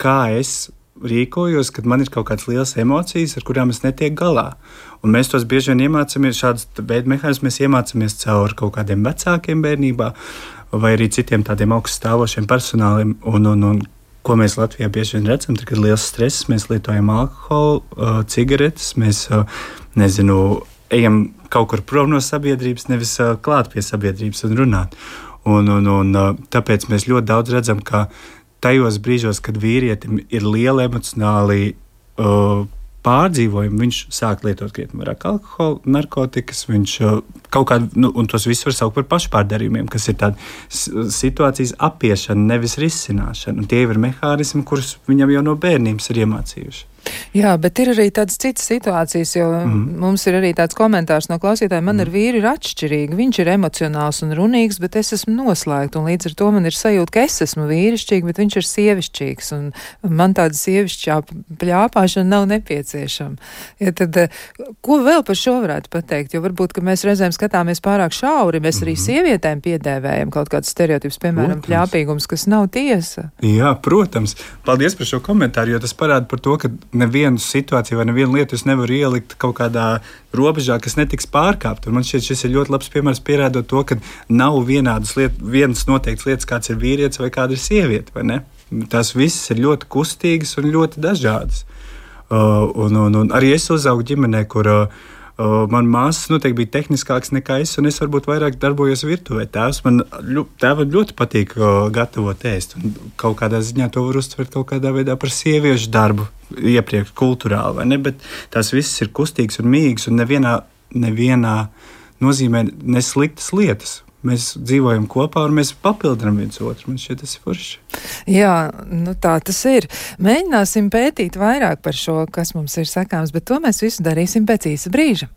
kā es rīkojos, kad man ir kaut kādas lielas emocijas, ar kurām es netieku galā. Un mēs tos bieži vien iemācāmies, šādas veidu mehānismus mēs iemācāmies caur kaut kādiem vecākiem bērnībā vai arī citiem tādiem augststāvošiem personāliem. Un, un, un ko mēs Latvijā bieži vien redzam, tad, kad ir liels stress, mēs lietojam alkoholu, uh, cigaretes, mēs, uh, nezinu, ejam kaut kur prom no sabiedrības, nevis uh, klāt pie sabiedrības un runāt. Un, un, un uh, tāpēc mēs ļoti daudz redzam, ka tajos brīžos, kad vīrietim ir liela emocionāli uh, pārdzīvojumi, viņš sāk lietot krietni vairāk alkoholu, narkotikas, viņš uh, kaut kādu, nu, un tos visus var saukt par pašpārdarījumiem, kas ir tāda situācijas apiešana, nevis risināšana. Un tie ir mehānismi, kurus viņam jau no bērnības ir iemācījuši. Jā, bet ir arī tādas citas situācijas, jo mm. mums ir arī tāds komentārs no klausītājiem, man mm. ar vīru ir atšķirīgi, viņš ir emocionāls un runīgs, bet es esmu noslēgta, un līdz ar to man ir sajūta, ka es esmu vīrišķīga, bet viņš ir sievišķīgs, un man tāda sievišķā pļāpāšana nav nepieciešama. Ja tad, ko vēl par šo varētu pateikt, jo varbūt, ka mēs reizēm skatāmies pārāk šauri, mēs arī mm. sievietēm piedēvējam kaut kādas stereotipus, piemēram, protams. Pļāpīgums, kas nav tiesa. Jā, protams. Paldies par šo komentāru, jo tas parāda par to, ka nevienu situāciju vai nevienu lietu es nevaru ielikt kaut kādā robežā, kas netiks pārkāpt. Un man šķiet, šis ir ļoti labs piemērs pierādot to, ka nav vienādas lietas, vienas noteiktas lietas, kāds ir vīrietis vai kāda ir sieviete, vai ne? Tās visas ir ļoti kustīgas un ļoti dažādas. Uh, un, un, un arī es uzaugu ģimenē, kur uh, Uh, man māsas noteikti bija tehniskāks nekā es, un es varbūt vairāk darbojos virtuvē. Tēvs man ļu, tēvam ļoti patīk uh, gatavot ēst, un kaut kādā ziņā to var uztvert kaut kādā veidā par sieviešu darbu iepriekš kulturāli, vai ne? Bet tās visas ir kustīgas un mīgas, un nevienā, nevienā nozīmē nesliktas lietas. Mēs dzīvojam kopā un mēs papildinām viens otru. Man šķiet, tas ir forši. Jā, nu tā tas ir. Mēģināsim pētīt vairāk par šo, kas mums ir sakāms, bet to mēs visu darīsim pēc īsa brīža.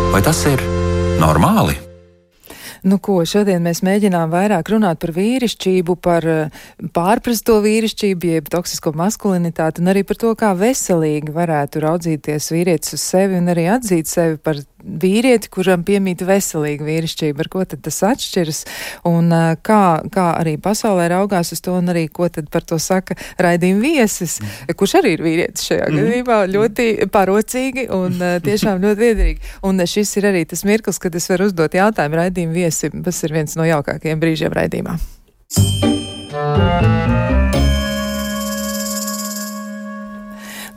Vai tas ir normāli? Nu ko, šodien mēs mēģinām vairāk runāt par vīrišķību, par pārprasto vīrišķību, jeb toksisko maskulinitāti, un arī par to, kā veselīgi varētu raudzīties vīrietis uz sevi un arī atzīt sevi par vīrieti, kuram piemīt veselīga vīrišķība, ar ko tad tas atšķiras, un kā, kā arī pasaulē raugās uz to, un arī ko tad par to saka raidījuma viesis, mm. kurš arī ir vīrietis šajā mm. gadījumā, ļoti parocīgi un tiešām ļoti liederīgi. Un šis ir arī tas mirklis, kad es varu uzdot jautājumu raidījuma viesim, tas ir viens no jaukākajiem brīžiem raidījumā.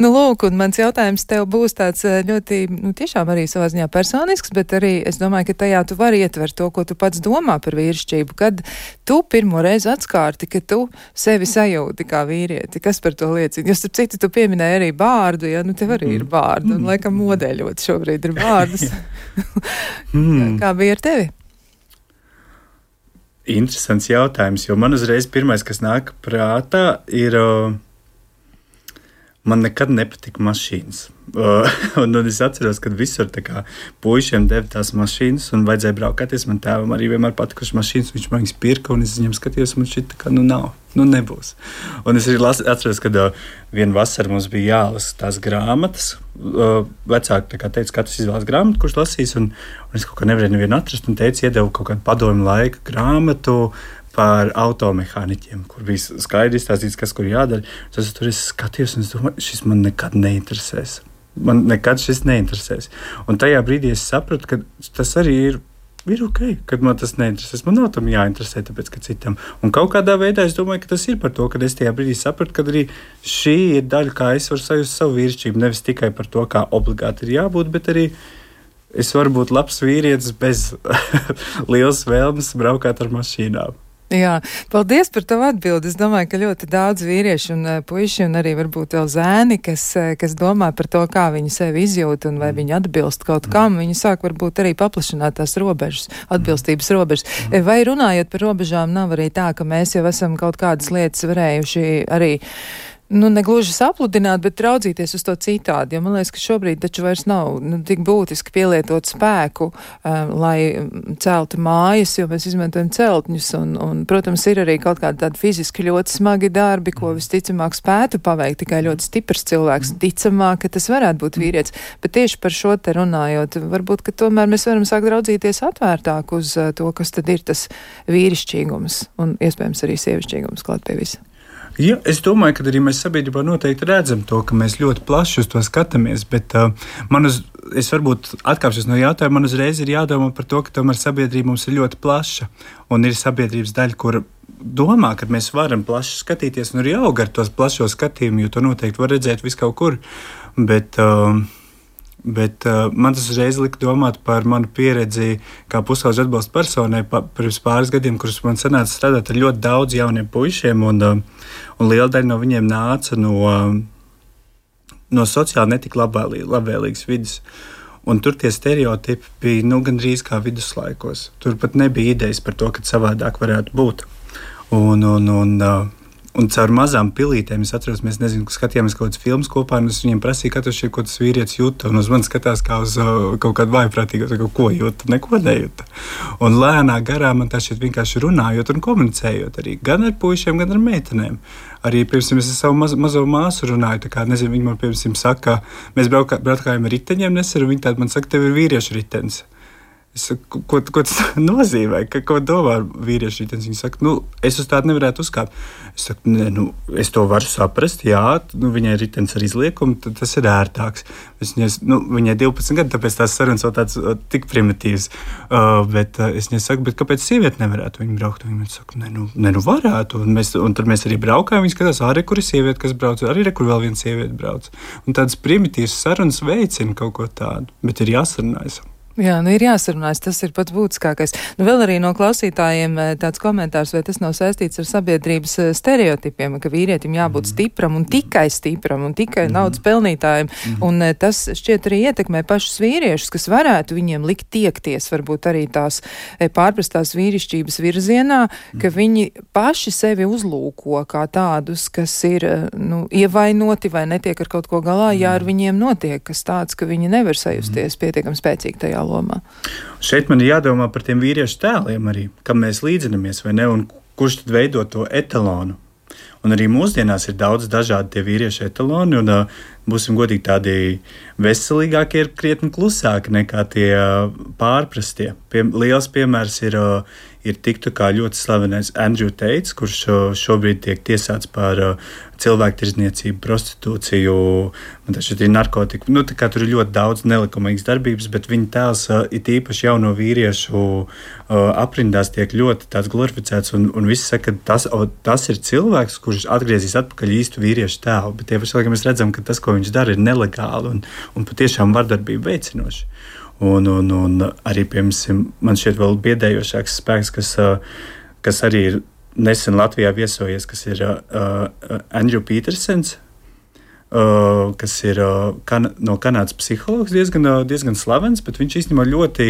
Nu, lūk, un mans jautājums tev būs tāds ļoti, nu, tiešām arī savā ziņā personisks, bet arī es domāju, ka tajā tu vari ietvert to, ko tu pats domā par vīrišķību, kad tu pirmo reizi atskārti, ka tu sevi sajūti kā vīrieti. Kas par to liecina? Jo, starp citu, tu pieminēji arī bārdu, ja, nu, tev arī ir bārdu, un laikam modeļot šobrīd ir bārdus. mm. Kā bija ar tevi? Interesants jautājums, jo man uzreiz pirmais, kas nāk prātā, ir... Uh, Man nekad nepatika mašīnas. Uh, un, un es atceros, kad visur kā, puišiem deva tās mašīnas un vajadzēja braukāties. Man tēvam arī vienmēr patikuši mašīnas, viņš man viņas pirka un es viņam skatījos, un man šķiet, ka nu nav, nu nebūs. Un es arī las, atceros, kad uh, vienu vasaru mums bija jālasa tās grāmatas. Uh, vecāki teica, katrs izvēlas grāmatu, kurš lasīs, un, un es kaut kā nevarēju nevienu atrast, un teica, iedevu kaut kādu padomu laika grāmatu par automehāniķiem, kur bija skaidri izstāstīts, kas kur jādara. Tas tur es skatījos, un es domāju, šis man nekad neinteresēs. Man nekad šis neinteresēs. Un tajā brīdī es sapratu, ka tas arī ir, ir ok, kad man tas neinteresēs. Man nav tam jāinteresē, tāpēc, ka citam. Un kaut kādā veidā es domāju, ka tas ir par to, ka es tajā brīdī sapratu, ka arī šī ir daļa, kā es varu sajust savu vīrišķību. Nevis tikai par to, kā obligāti ir jābūt, bet arī es varu būt labs vīrietis bez lielas vēlmes braukāt ar mašīnām. Jā, paldies par tavu atbildi. Es domāju, ka ļoti daudz vīrieši un puiši un arī varbūt vēl zēni, kas, kas domā par to, kā viņi sevi izjūt un vai viņi atbilst kaut kam, viņi sāk varbūt arī paplašināt tās robežas, atbilstības robežas. Vai runājot par robežām, nav arī tā, ka mēs jau esam kaut kādas lietas varējuši arī nu, negluži sapludināt, bet raudzīties uz to citādi, jo man liekas, ka šobrīd taču vairs nav nu, tik būtiski pielietot spēku, um, lai celtu mājas, jo mēs izmantojam celtņus, un, un, protams, ir arī kaut kādi tādi fiziski ļoti smagi darbi, ko visticamāk spētu paveikt tikai ļoti stiprs cilvēks, ticamāk, ka tas varētu būt vīrietis, bet tieši par šo te runājot, varbūt, ka tomēr mēs varam sākt raudzīties atvērtāk uz uh, to, kas tad ir tas vīrišķīgums, un iespējams arī sievišķīgums klāt pie visa. Ja, es domāju, ka arī mēs sabiedrībā noteikti redzam to, ka mēs ļoti plaši uz to skatāmies, bet uh, man uz, es varbūt atkāpšos no jautājuma, man uzreiz ir jādomā par to, ka tomēr sabiedrība mums ir ļoti plaša, un ir sabiedrības daļa, kur domā, ka mēs varam plaši skatīties, un arī aug ar tos plašo skatījumu, jo to noteikti var redzēt vis kaut kur, bet... Uh, Bet uh, man tas uzreiz lika domāt par manu pieredzi kā pusaudžu atbalsta personai pa, pirms pāris gadiem, kurus man sanāca strādāt ar ļoti daudz jauniem puišiem, un, uh, un liela daļa no viņiem nāca no, uh, no sociāli netik labvēlī, labvēlīgas vidas. Un tur tie stereotipi bija nu, gandrīz kā viduslaikos. Tur pat nebija idejas par to, ka savādāk varētu būt. Un, un, un, uh, Un caur mazām pilītēm, es atceros, mēs nezinu, skatījāmies kaut kādas filmas kopā, un es viņiem prasīju, katrs šeit, ko tas vīrietis jūta, un uz mani skatās kā uz uh, kaut kādu vājprātīgu, kaut ko jūta, neko nejūta. Un lēnā garā man tā šeit vienkārši runājot un komunicējot arī, gan ar puišiem, gan ar meitenēm. Arī, piemēram, es ar savu maz, mazo māsu runāju, tā kā, nezinu, viņi man, piemēram, saka, mēs braukā, braukājam ar riteņiem nesen, un viņi tādi man saka, tev ir vīriešu ritenis. Es saku, ko, ko tas nozīmē, ka, ko domā vīrieši ritenis? Viņi saka, nu, es uz tādu nevarētu uzkāpt. Es saku, ne, nu, es to varu saprast, jā, nu, viņai ritenis ar izliekumu, tad tas ir ērtāks. Es viņai, nu, viņai divpadsmit gadi, tāpēc tās sarunas vēl tāds uh, tik primitīvs. Uh, bet uh, es viņai saku, bet kāpēc sieviete nevarētu viņu braukt? Viņa man saka, ne, nu, ne, nu varētu. Un, mēs, un tad mēs arī braukājam, viņi skatās, arī kur ir sieviete, kas brauc, arī re, kur vēl viena sieviete brauc. Un tādas primitīvas sarunas veicina kaut ko tādu, bet ir jāsarunājas. Jā, nu ir jāsarunājas, tas ir pats būtiskākais. Nu vēl arī no klausītājiem tāds komentārs, vai tas nav saistīts ar sabiedrības stereotipiem, ka vīrietim jābūt stipram un tikai stipram un tikai mm-hmm. naudas pelnītājiem. Mm-hmm. Un tas šķiet arī ietekmē pašus vīriešus, kas varētu viņiem likt tiekties, varbūt arī tās pārprastās vīrišķības virzienā, mm-hmm. ka viņi paši sevi uzlūko kā tādus, kas ir, nu, ievainoti vai netiek ar kaut ko galā, mm-hmm. ja ar viņiem notiek kas tāds, ka viņi nevar sajusties mm-hmm. pietiekami spēcīgi tajā lomā. Šeit man ir jādomā par tiem vīriešu tēliem arī, kam mēs līdzinamies vai ne, un kurš tad veido to etalonu. Un arī mūsdienās ir daudz dažādi tie vīriešu etaloni, un uh, būsim godīgi, tādi veselīgākie ir krietni klusāki nekā tie uh, pārprastie. Pie, liels piemērs ir, uh, ir tiktu kā ļoti slavenais Andrew Tate, kurš uh, šobrīd tiek tiesāts par uh, cilvēktirdzniecību, prostitūciju, man taču ir narkotiku. Nu, tā kā tur ir ļoti daudz nelikumīgas darbības, bet viņa tēls uh, it īpaši jauno vīriešu uh, aprindās tiek ļoti tāds glorificēts, un, un visi saka, ka tas, o, tas ir cilvēks, kurš atgriezīs atpakaļ īstu vīriešu tēlu, bet tie paši laikam mēs redzam, ka tas, ko viņš dara, ir nelegāli un, un patiešām vardarbību veicinoši. Un, un, un arī, piemēram, man šķiet vēl biedējošāks spēks, kas, kas arī ir nesen Latvijā viesojies, kas ir uh, Andrew Petersens, uh, kas ir uh, kan, no Kanādas psihologs, diezgan, uh, diezgan slavens, bet viņš īstenībā ļoti,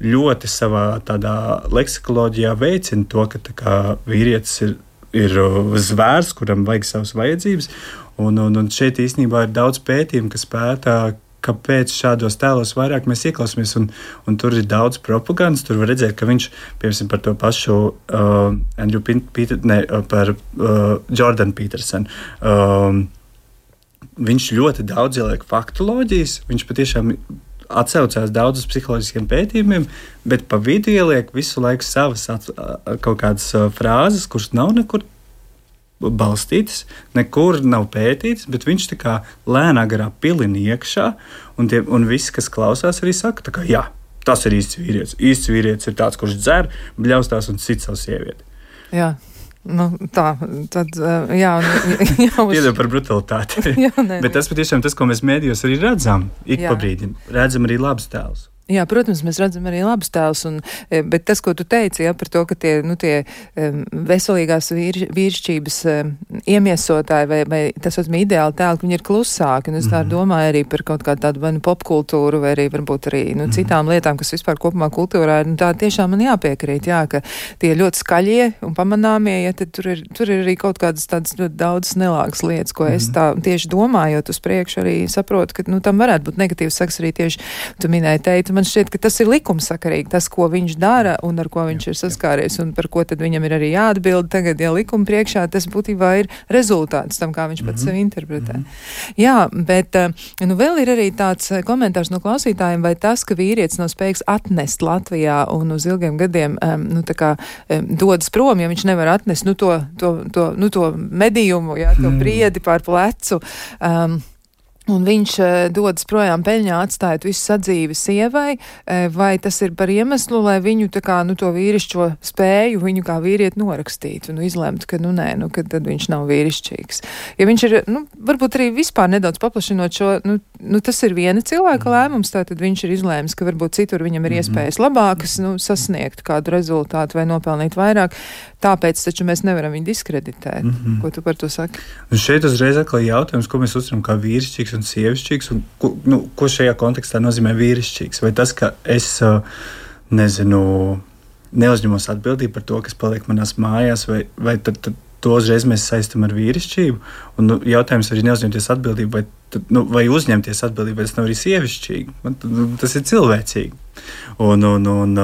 ļoti savā tādā leksikoloģijā veicina to, ka tā kā vīrietis ir, ir zvērs, kuram vajag savas vajadzības, un, un, un šeit īstenībā ir daudz pētījumu, kas pētā, kāpēc šādos tēlos vairāk mēs ieklausāmies, un, un tur ir daudz propagandas. Tur var redzēt, ka viņš, piemēram, par to pašu uh, Andrew Peter, ne, par uh, Jordan Peterson, um, viņš ļoti daudz ieliek faktoloģijas, viņš patiešām atsaucās daudz uz psiholoģiskiem pētījumiem, bet pa vidu ieliek visu laiku savas at, kaut kādas uh, frāzes, kuras nav nekur balstītas, nekur nav pētītas, bet viņš tā kā lēnā garā pilina iekšā, un, tie, un visi, kas klausās, arī saka, tā kā, jā, tas ir īsts vīrietis. Īsts vīrietis ir tāds, kurš dzer, bļaustās un sit savu sievieti. Jā. Nu, tā, tad, jā, jā uz... Piedod par brutalitāti. jā, ne, bet tas patiešām tas, ko mēs mēdījos arī redzam, ik jā. pa brīdim, redzam arī labs tēls. Jā, protams, mēs redzam arī labus tēlus, un, bet tas, ko tu teici, ja, par to, ka tie, nu, tie veselīgās vīr, vīrišķības iemiesotāji vai, vai tas esmu ideāli tēli, ka viņi ir klusāki, un es tā mm-hmm. domāju arī par kaut kādu tādu vai nu popkultūru, vai arī varbūt arī, nu, mm-hmm. citām lietām, kas vispār kopumā kultūrā ir, nu, tā tiešām man jāpiekrīt, jā, ka tie ļoti skaļie un pamanāmie, ja, tad tur ir, tur ir arī kaut kādas tādas ļoti daudzas nelāgas lietas, ko mm-hmm. es tā tieši domājot uz priekšu arī saprotu, ka, nu, tam varētu būt negatīvs saks arī tieši, tu minēji teikt, man šķiet, ka tas ir likumsakarīgi, tas, ko viņš dara un ar ko viņš ir saskāries un par ko tad viņam ir arī jāatbild tagad, ja likuma priekšā, tas būtībā ir rezultāts tam, kā viņš pats mm-hmm. sevi interpretē. Mm-hmm. Jā, bet nu vēl ir arī tāds komentārs no klausītājiem, vai tas, ka vīrietis nav spējīgs atnest Latvijā un uz ilgiem gadiem, nu tā kā dodas prom, ja viņš nevar atnest, nu to, to, to, nu, to medījumu, jā, to briedi pār plecu, um, un viņš uh, dodas projām peļņā, atstājot visu sadzīvi sievai, uh, vai tas ir par iemeslu, lai viņu tā kā, nu, to vīrišķo spēju viņu kā vīrieti norakstītu, nu, izlemt, ka, nu, nē, nu, ka tad viņš nav vīrišķīgs. Ja viņš ir, nu, varbūt arī vispār nedaudz paplašinot šo, nu, nu tas ir viena cilvēka lēmums, tātad viņš ir izlēmis, ka varbūt citur viņam ir iespējas labākas, nu, sasniegt kādu rezultātu vai nopelnīt vairāk, tāpēc taču mēs nevaram viņu diskreditēt. Mm-hmm. Ko tu par to saki? Un šeit uzreiz atkal jautājums, ko mēs uztveram kā vīrišķīgs un sievišķīgs, un ko, nu, ko šajā kontekstā nozīmē vīrišķīgs? Vai tas, ka es, nezinu, neuzņemos atbildību par to, kas paliek manās mājās, vai, vai tad, tad to uzreiz mēs saistam ar vīrišķību? Un nu, jautājums arī neuzņemties atbildību, vai, tad, nu, vai uzņemties atbildību, vai tas nav arī sievišķīgi? Man, nu, tas ir cilvēcīgi. Un, un, un,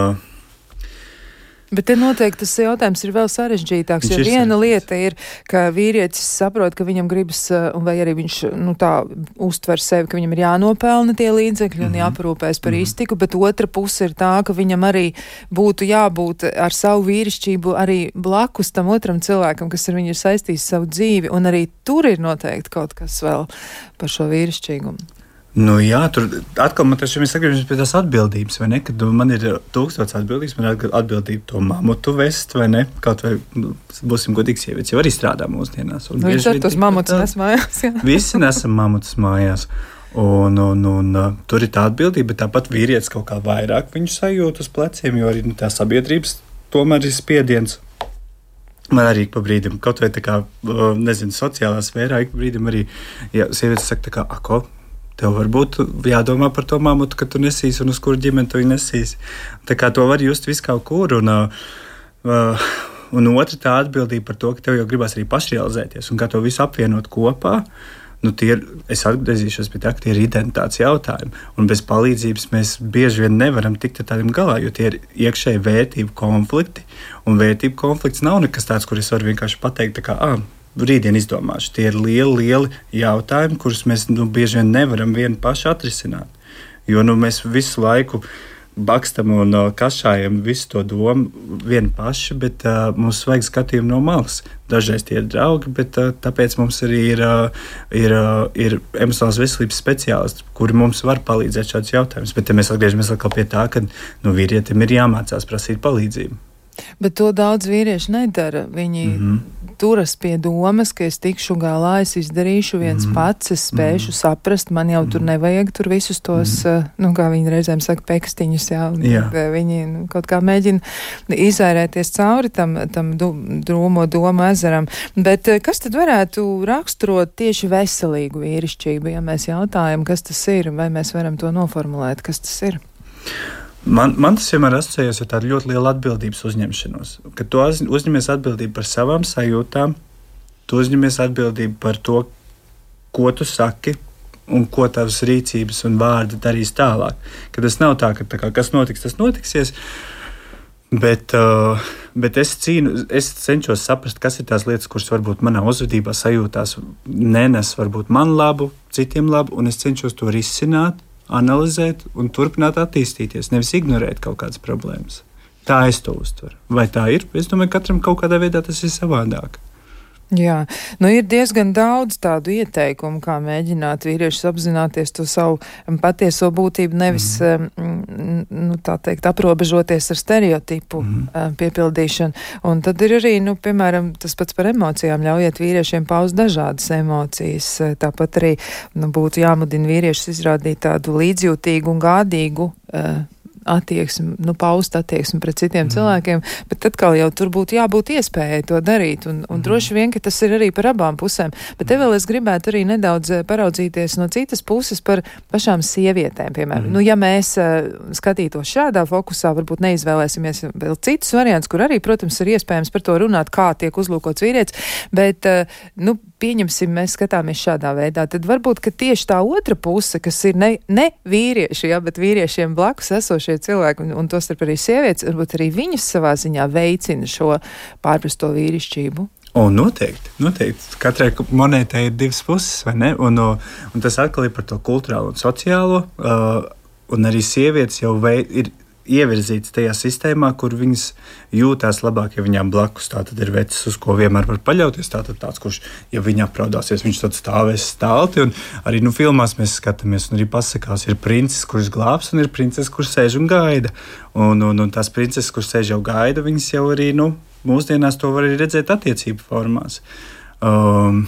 Bet te noteikti tas jautājums ir vēl sarežģītāks, jo viena lieta ir, ka vīrietis saprot, ka viņam gribas, vai arī viņš, nu, tā uztver sevi, ka viņam ir jānopelna tie līdzekļi mm-hmm. un jāparūpēs par mm-hmm. iztiku, bet otra puse ir tā, ka viņam arī būtu jābūt ar savu vīrišķību arī blakus tam otram cilvēkam, kas ar viņu ir saistījis savu dzīvi, un arī tur ir noteikti kaut kas vēl par šo vīrišķīgumu. Nu, jā, tur atkal man taču mēs atgriežamies pie tās atbildības, vai ne? Kad man ir tūkstots atbildības, man ir atbildība to mamutu vest, vai ne? Kaut vai, būsim godīgi, sievietes jau arī strādā mūsdienās. Un viņš ar tos mamutus nes mājās, jā. Visi nesam mamutus mājās. Un, un, un, un tur ir tā atbildība, bet tāpat vīrietis kaut kā vairāk viņu sajūt uz pleciem, jo arī nu, tā sabiedrības tomēr ir spiediens. Man arī pa brīdim, kaut vai tā kā, nezinu, sociālā sfērā, ik pa brīdim arī, ja sievietes saka tā kā, ako, tev varbūt jādomā par to mamutu, ka tu nesīsi un uz kuru ģimeni tu viņu nesīsi. Tā kā to var just visu kaut kur. Un, uh, un otra tā atbildība par to, ka tev jau gribas arī pašrealizēties un kā to visu apvienot kopā. Nu, tie ir, es atgriezīšos pie tā, ka tie ir identitātes jautājumi. Un bez palīdzības mēs bieži vien nevaram tikt ar tādiem galā, jo tie ir iekšēji vērtību konflikti. Un vērtību konflikts nav nekas tāds, kur es varu vienkārši pateikt, tā kā, ah, rītdien izdomāšu. Tie ir lieli, lieli jautājumi, kurus mēs nu, bieži vien nevaram vieni paši atrisināt. Jo nu, mēs visu laiku bakstam un uh, kašājam visu to domu vieni paši, bet uh, mums vajag skatījumu no malas. Dažreiz tie ir draugi, bet uh, tāpēc mums arī ir, uh, ir, uh, ir emocionālās veselības speciālisti, kuri mums var palīdzēt šādus jautājumus. Bet ja mēs atgriežamies atkal pie tā, ka nu, vīrietim ir jāmācās prasīt palīdzību. Bet to daudz vīrieši nedara. Viņi mm-hmm. turas pie domas, ka es tikšu galā, es izdarīšu viens mm-hmm. pats, es spēšu mm-hmm. saprast, man jau tur nevajag tur visus tos, mm-hmm. nu, kā viņi reizēm saka, pekstiņus, jā, jā. Viņi nu, kaut kā mēģina izvairēties cauri tam, tam du, drūmo domu ezeram. Bet kas tad varētu raksturot tieši veselīgu vīrišķību, ja mēs jautājam, kas tas ir, vai mēs varam to noformulēt, kas tas ir? Man, man tas vienmēr asociējas ar tādu ļoti lielu atbildības uzņemšanos. Kad tu uzņemies atbildību par savām sajūtām, tu uzņemies atbildību par to, ko tu saki un ko tavas rīcības un vārdi darīs tālāk. Kad tas nav tā, ka tā kā, kas notiks, tas notiksies, bet, uh, bet es, cīnu, es cenšos saprast, kas ir tās lietas, kuras varbūt manā uzvedībā sajūtās nenes varbūt man labu, citiem labu, un es cenšos to risināt, analizēt un turpināt attīstīties, nevis ignorēt kaut kādas problēmas. Tā es to uztveru. Vai tā ir? Es domāju, ka katram kaut kādā veidā tas ir savādāk. Jā, nu ir diezgan daudz tādu ieteikumu, kā mēģināt vīriešus apzināties to savu patieso būtību, nevis, mm. nu, tā teikt, aprobežoties ar stereotipu mm. piepildīšanu. Un tad ir arī, nu, piemēram, tas pats par emocijām, ļaujiet vīriešiem paust dažādas emocijas. Tāpat arī, nu, būtu jāmudina vīriešus izrādīt tādu līdzjūtīgu un gādīgu uh, attieksmi, nu, paust attieksmi pret citiem mm. cilvēkiem, bet atkal jau tur būtu jābūt iespējai to darīt, un, un mm. droši vien, ka tas ir arī par abām pusēm. Bet te vēl es gribētu arī nedaudz paraudzīties no citas puses par pašām sievietēm, piemēram. Mm. Nu, ja mēs uh, skatītos šādā fokusā, varbūt neizvēlēsimies vēl citus variants, kur arī, protams, ir iespējams par to runāt, kā tiek uzlūkots vīrietis, bet, uh, nu, pieņemsim, mēs skatāmies šādā veidā, tad varbūt, ka tieši tā otra puse, kas ir ne, ne vīrieši, ja, bet vīriešiem blakus esošie cilvēki, un, un tostarp arī sievietes, varbūt arī viņas savā ziņā veicina šo pārprasto vīrišķību. O, noteikti, noteikti. Katrai monētai ir divas puses, vai ne? Un, un tas atkal ir par to kulturālo un sociālo, uh, un arī sievietes jau vei, ir ievirzītas tajā sistēmā, kur viņas jūtās labāk, ja viņām blakus tātad ir vecis, uz ko vienmēr var paļauties. Tātad tāds, kurš, ja viņa apraudāsies, viņš tad stāvēs stālti. Un arī nu, filmās mēs skatāmies, un arī pasakās, ir princis, kurš glābs, un ir princis, kurš sēž un gaida. Un, un, un tās princeses, kurš sēž jau gaida, viņas jau arī, nu, mūsdienās to var arī redzēt attiecību formās. Um,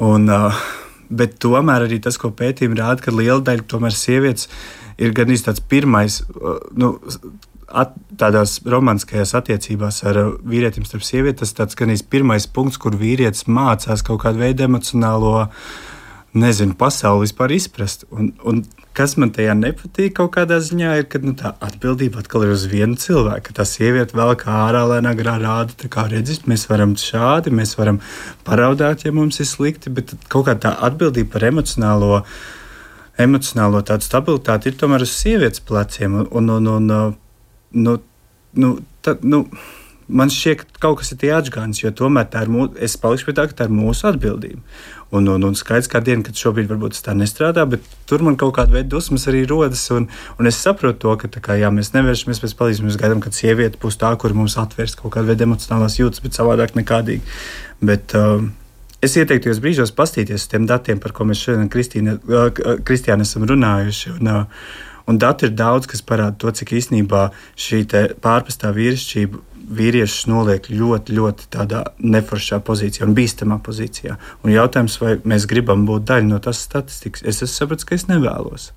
un, uh, bet tomēr arī tas, ko pētījumi rāda, ka liela daļa tomēr sievietes ir gan tāds pirmais, nu, at, tādās romantiskajās attiecībās ar vīrietim starp sievieti, tas tāds gan pirmais punkts, kur vīrietis mācās kaut kādu veidu emocionālo, nezinu, pasauli vispār izprast. Un, un kas man tajā nepatīk kaut kādā ziņā ir, ka nu, tā atbildība atkal ir uz vienu cilvēku, ka tā sieviete vēl kā ārā lēnā garā rāda, tā kā redzis, mēs varam šādi, mēs varam paraudāt, ja mums ir slikti, bet kaut kā tā atbildība par emocionālo emocionālo tādu stabilitāti ir tomēr uz sievietes pleciem. Un, un, un, nu, nu, tā, nu, man šķiet, ka kaut kas ir tie atžgānis, jo tomēr tā ir mūsu, es palikšu pie tā, ka tā ir mūsu atbildība. Un, un, un skaidrs kā diena, kad šobrīd varbūt tas tā nestrādā, bet tur man kaut kāda veida dusmas arī rodas. Un, un es saprotu to, ka tā kā, jā, mēs nevēršamies pēc palīdzības, mēs gaidām, kad sieviete būs tā, kur mums atvērs kaut kāda veida emocionālās jūtas, bet savādāk nekādīgi. Bet, um, es ieteiktu jūs brīžos pastīties uz tiem datiem, par ko mēs šodien Kristiāna esam runājuši. Un, un dati ir daudz, kas parāda to, cik īstenībā šī pārprastā vīrišķība vīriešus noliek ļoti, ļoti tādā neforšā pozīcijā un bīstamā pozīcijā. Un jautājums, vai mēs gribam būt daļa no tās statistikas, es esmu sapratis, ka es nevēlos.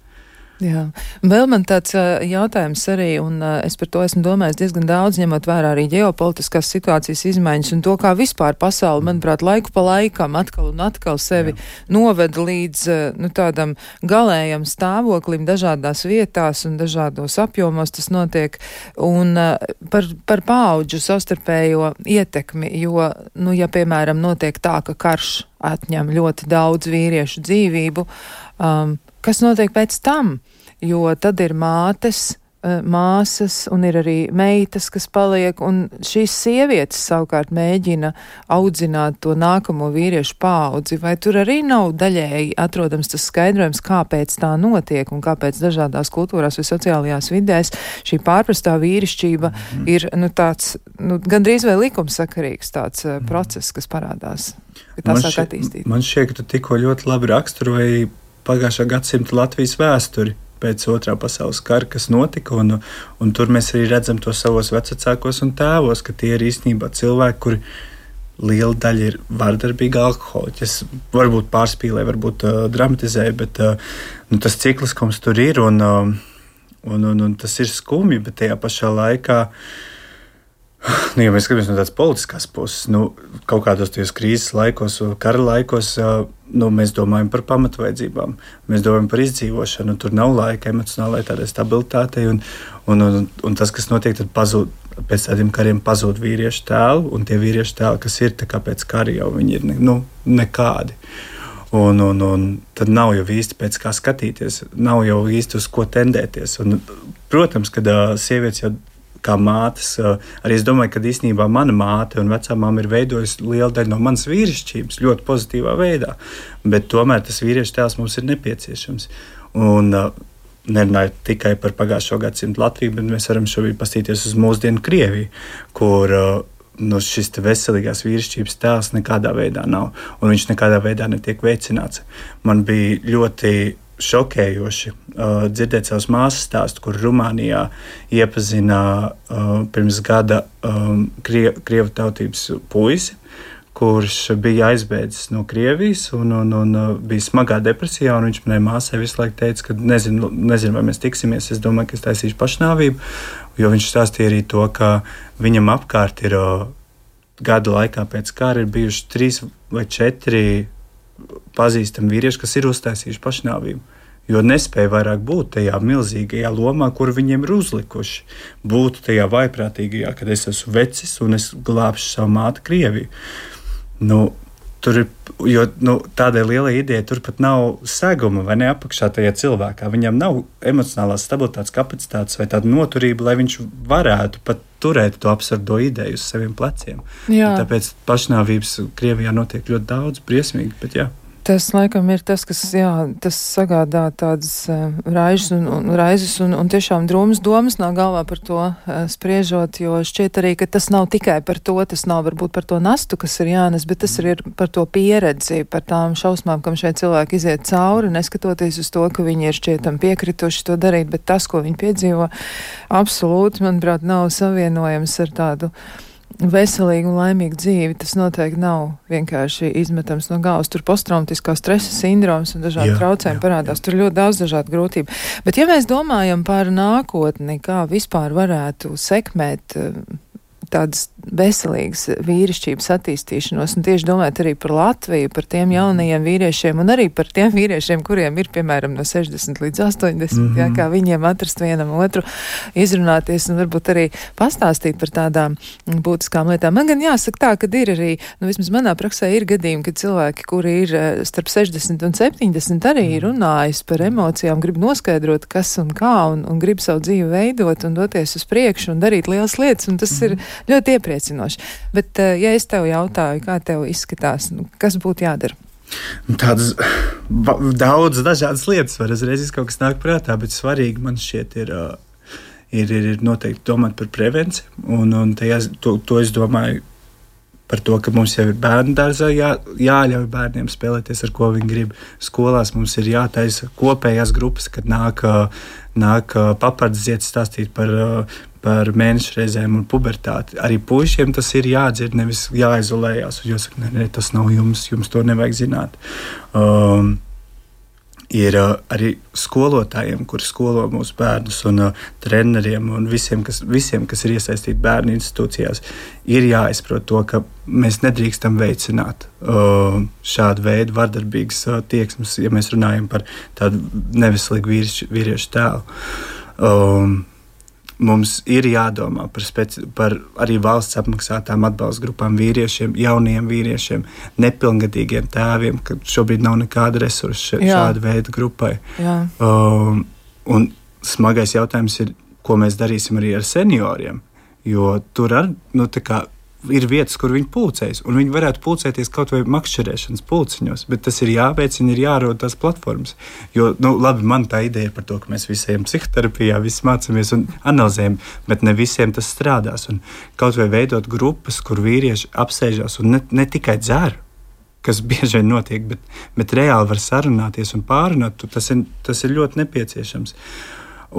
Jā, vēl man tāds uh, jautājums arī, un uh, es par to esmu domājis diezgan daudz, ņemot vērā arī ģeopolitiskās situācijas izmaiņas un to, kā vispār pasauli, manuprāt, laiku pa laikam atkal un atkal sevi Jā. noveda līdz uh, nu, tādam galējam stāvoklim dažādās vietās un dažādos apjomos tas notiek, un uh, par, par paudžu savstarpējo ietekmi, jo, nu, ja, piemēram, notiek tā, ka karš atņem ļoti daudz vīriešu dzīvību, um, kas notiek pēc tam? Jo tad ir mātes, māsas un ir arī meitas, kas paliek, un šīs sievietes savukārt mēģina audzināt to nākamo vīriešu paudzi. Vai tur arī nav daļēji atrodams tas skaidrojums, kāpēc tā notiek un kāpēc dažādās kultūrās vai sociālajās vidēs šī pārprastā vīrišķība mm. ir nu, tāds, nu, gandrīz vai likumsakarīgs tāds mm. process, kas parādās, ka tā sāk attīstīt? Man šķiet, ka tu tikko ļoti labi raksturoji pagājušā gadsimta Latvijas vēsturi pēc otrā pasaules kara, kas notika, un, un tur mēs arī redzam to savos vecākos un tēvos, ka tie ir īstenībā cilvēki, kuri liela daļa ir vardarbīgi alkoholiķi. Es varbūt pārspīlēju, varbūt uh, dramatizēju, bet uh, nu, tas cikliskums tur ir, un, uh, un, un, un tas ir skumji, bet tajā pašā laikā nu, ja mēs skatāmies no tādas politiskās puses, nu, kaut kādos tajos krīzes laikos, kara laikos, nu, mēs domājam par pamatvajadzībām, mēs domājam par izdzīvošanu, un tur nav laika emocionālai tādai stabilitātei, un, un, un, un tas, kas notiek, tad pazūd, pēc tādiem kariem pazūd vīriešu tēlu, un tie vīriešu tēli, kas ir tā kā pēc kara jau, viņi ir ne, nu, nekādi. Un, un, un tad nav jau īsti pēc kā skatīties, nav jau īsti uz ko tendēties. Un, protams, kad uh, sievietes jau kā mātes, arī es domāju, ka īstenībā mana māte un vecā māma ir veidojusi lielu daļu no manas vīrišķības ļoti pozitīvā veidā, bet tomēr tas vīriešu tēls mums ir nepieciešams. Un nerunāju tikai par pagājušo gadsimtu Latviju, bet mēs varam šobrīd pastīties uz mūsdienu Krieviju, kur no šis veselīgās vīrišķības tēls nekādā veidā nav, un viņš nekādā veidā netiek veicināts. Man bija ļoti šokējoši uh, dzirdēt savas māsas stāstu, kur Rumānijā iepazina uh, pirms gada um, krie, krievu tautības puisi, kurš bija aizbēdzis no Krievijas un, un, un bija smagā depresijā, un viņš manai māsai visu laiku teica, ka nezinu, nezinu, vai mēs tiksimies, es domāju, ka es taisīšu pašnāvību, jo viņš stāstīja arī to, ka viņam apkārt ir gada laikā pēc kara ir bijuši trīs vai četri pazīstami vīrieši, kas ir uztaisījuši pašnāvību, jo nespēja vairāk būt tajā milzīgajā lomā, kur viņiem ir uzlikuši. Būt tajā vaiprātīgajā, kad es esmu vecis un es glābšu savu māti Krieviju. Nu, tur ir, jo nu, tādai lielai idejai tur pat nav seguma vai ne apakšā tajā cilvēkā. Viņam nav emocionālās stabilitātes kapacitātes vai tāda noturība, lai viņš varētu pat turēt to absurdo ideju uz saviem pleciem. Tāpēc pašnāvības Krievijā notiek ļoti daudz, briesmīgi, bet jā. Tas laikam ir tas, kas, jā, tas sagādā tādas uh, raizes un, un, raizes un, un tiešām drūmas domas nāk galvā par to uh, spriežot, jo šķiet arī, ka tas nav tikai par to, tas nav varbūt par to nastu, kas ir jānes, bet tas ir par to pieredzi, par tām šausmām, kam šeit cilvēki iziet cauri, neskatoties uz to, ka viņi ir šķietam piekrituši to darīt, bet tas, ko viņi piedzīvo, absolūti, manuprāt, nav savienojams ar tādu veselīgu un laimīgu dzīvi. Tas noteikti nav vienkārši izmetams no galvas. Tur posttraumatiskā stresa sindroms un dažādi traucējumi parādās. Tur ļoti daudz dažādu grūtību. Bet ja mēs domājam par nākotni, kā vispār varētu sekmēt tādas veselīgas vīrišķības attīstīšanos, un tieši domājot arī par Latviju, par tiem jaunajiem vīriešiem, un arī par tiem vīriešiem, kuriem ir, piemēram, no sešdesmit līdz astoņdesmit, mm-hmm. jā, kā viņiem atrast vienam otru, izrunāties un varbūt arī pastāstīt par tādām būtiskām lietām. Man gan jāsaka tā, ka ir arī, nu vismaz manā praksē ir gadījumi, kad cilvēki, kuri ir starp sešdesmit un septiņdesmit, arī runājas par emocijām, grib noskaidrot, kas un kā, un, un grib savu dzīvi veidot un doties uz priekšu un darīt lielas lietas, un tas mm-hmm. ir ļoti iepriecinoši. Bet, ja es tev jautāju, kā tev izskatās, nu, kas būtu jādara? Tādas daudz dažādas lietas var uzreiz kaut kas nāk prātā, bet svarīgi man šķiet ir, ir, ir, ir noteikti domāt par prevenciju, un, un tajā, to, to es domāju par to, ka mums jau ir bērnu dārzā, jā, jāļauj bērniem spēlēties, ar ko viņi grib. Skolās mums ir jātaisa kopējās grupas, kad nāk, nāk papardziet stāstīt par, par mēnešu reizēm un pubertāti. Arī puišiem tas ir jādzird, nevis jāizolējās. Un jāsaka, ne, ne, tas nav jums, jums to nevajag zināt. Um, Ir uh, arī skolotājiem, kuri skolo mūsu bērnus, un uh, treneriem un visiem kas, visiem, kas ir iesaistīti bērnu institūcijās, ir jāizprot to, ka mēs nedrīkstam veicināt uh, šādu veidu vardarbīgas uh, tieksmes, ja mēs runājam par tādu neveselīgu vīriešu, vīriešu tēlu. Um, Mums ir jādomā par, speci- par arī valsts apmaksātām atbalsta grupām vīriešiem, jauniem vīriešiem, nepilngadīgiem tēviem, ka šobrīd nav nekāda resursa šāda veida grupai. Um, un smagais jautājums ir, ko mēs darīsim arī ar senioriem, jo tur ar, nu, tā kā ir vietas, kur viņi pulcējas, un viņi varētu pulcēties kaut vai makšķerēšanas pulciņos, bet tas ir jāveicina, ir jārod tās platformas. Jo, nu, labi, man tā ideja ir par to, ka mēs visi ejam psihoterapijā, visi mācāmies un analizējam, bet ne visiem tas strādās. Un kaut vai veidot grupas, kur vīrieši apsēžās un ne, ne tikai dzer, kas bieži vien notiek, bet, bet reāli var sarunāties un pārunāt, tas ir, tas ir ļoti nepieciešams.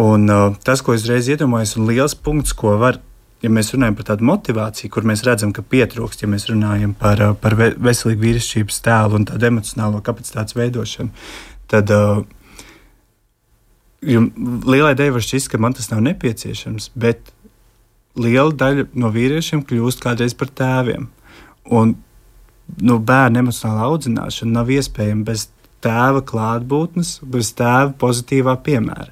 Un uh, tas, ko es reiz iedomājos, un liels punkts, ko var, ja mēs runājam par tādu motivāciju, kur mēs redzam, ka pietrūkst, ja mēs runājam par, par veselīgu vīrišķības tēlu un tādu emocionālo kapacitātes veidošanu, tad uh, lielai daļai var šķist, ka man tas nav nepieciešams, bet liela daļa no vīriešiem kļūst kādreiz par tēviem. Un nu, bērnu emocionālā audzināšana nav iespējama bez tēva klātbūtnes, bez tēva pozitīvā piemēra.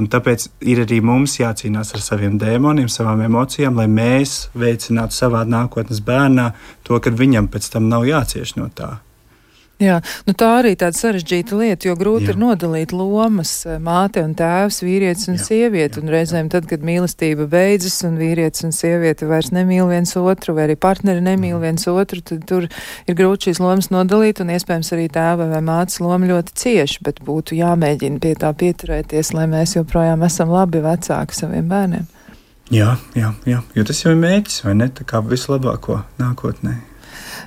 Un tāpēc ir arī mums jācīnās ar saviem dēmoniem, savām emocijām, lai mēs veicinātu savā nākotnes bērnā to, ka viņam pēc tam nav jācieš no tā. Jā, nu tā arī tāda sarežģīta lieta, jo grūti jā. ir nodalīt lomas māte un tēvs, vīrietis un jā, sieviete, jā, un reizēm tad, kad mīlestība beidzas un vīrietis un sieviete vairs nemīl viens otru, vai arī partneri nemīl viens otru, tad tur ir grūti šīs lomas nodalīt, un iespējams arī tēva vai mātes loma ļoti cieši, bet būtu jāmēģina pie tā pieturēties, lai mēs joprojām esam labi vecāki saviem bērniem. Jā, jā, jā, jo tas jau ir mērķis, vai ne? Tā kā vislabāko nākotnē.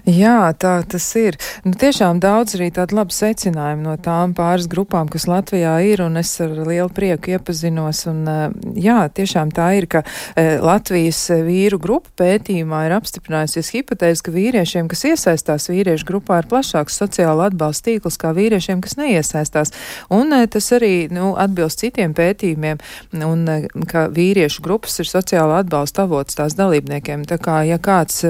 Jā, tā tas ir. Nu, tiešām daudz arī tādu labu secinājumu no tām pāris grupām, kas Latvijā ir, un es ar lielu prieku iepazinos. Un, jā, tiešām tā ir, ka Latvijas vīru grupu pētījumā ir apstiprinājusies hipotēze, ka vīriešiem, kas iesaistās vīriešu grupā, ir plašāks sociāla atbalsta tīkls kā vīriešiem, kas neiesaistās. Un tas arī nu, atbilst citiem pētījumiem, un ka vīriešu grupas ir sociāla atbalsta avots tās dalībniekiem. Tā kā, ja kāds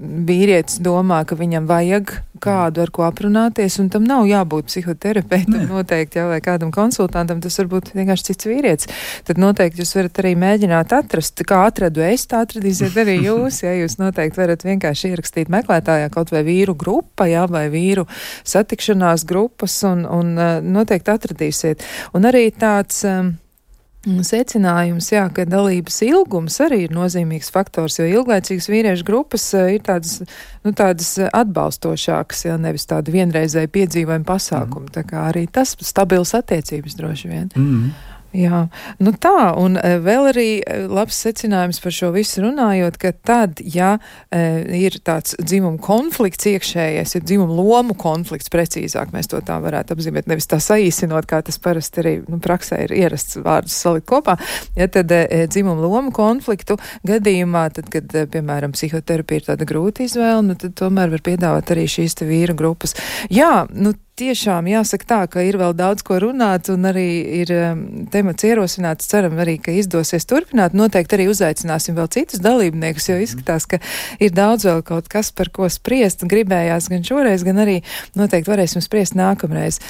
vīrietis domā, ka viņam vajag kādu, ar ko aprunāties, un tam nav jābūt psihoterapeitam noteikti, jau vai kādam konsultantam, tas varbūt vienkārši cits vīrietis. Tad noteikti jūs varat arī mēģināt atrast, kā atradu es, tā atradīsiet arī jūs, ja jūs noteikti varat vienkārši ierakstīt meklētājā kaut vai vīru grupa, jā, vai vīru satikšanās grupas, un, un noteikti atradīsiet. Un arī tāds um, secinājums, jā, ka dalības ilgums arī ir nozīmīgs faktors, jo ilglaicīgas vīriešu grupas ir tādas, nu, tādas atbalstošākas, jā, nevis tādu vienreizēju piedzīvojumu pasākumu. Mm. Tā kā arī tas stabils attiecības droši vien. Mm. Jā, nu tā, un vēl arī labs secinājums par šo visu runājot, ka tad, ja e, ir tāds dzimuma konflikts iekšējais, ir dzimuma lomu konflikts, precīzāk mēs to tā varētu apzīmēt, nevis tā saīsinot, kā tas parasti arī nu, praksē ir ierasts vārdus salikt kopā, ja tad e, dzimuma lomu konfliktu gadījumā, tad, kad, e, piemēram, psihoterapija ir tāda grūta izvēle, nu tad tomēr var piedāvāt arī šīs te vīru grupas. Jā, nu tiešām jāsaka tā, ka ir vēl daudz ko runāt un arī ir um, temats ierosināts. Ceram arī, ka izdosies turpināt. Noteikti arī uzaicināsim vēl citus dalībniekus, jo izskatās, ka ir daudz vēl kaut kas, par ko spriest. Gribējās gan šoreiz, gan arī noteikti varēsim spriest nākamreiz.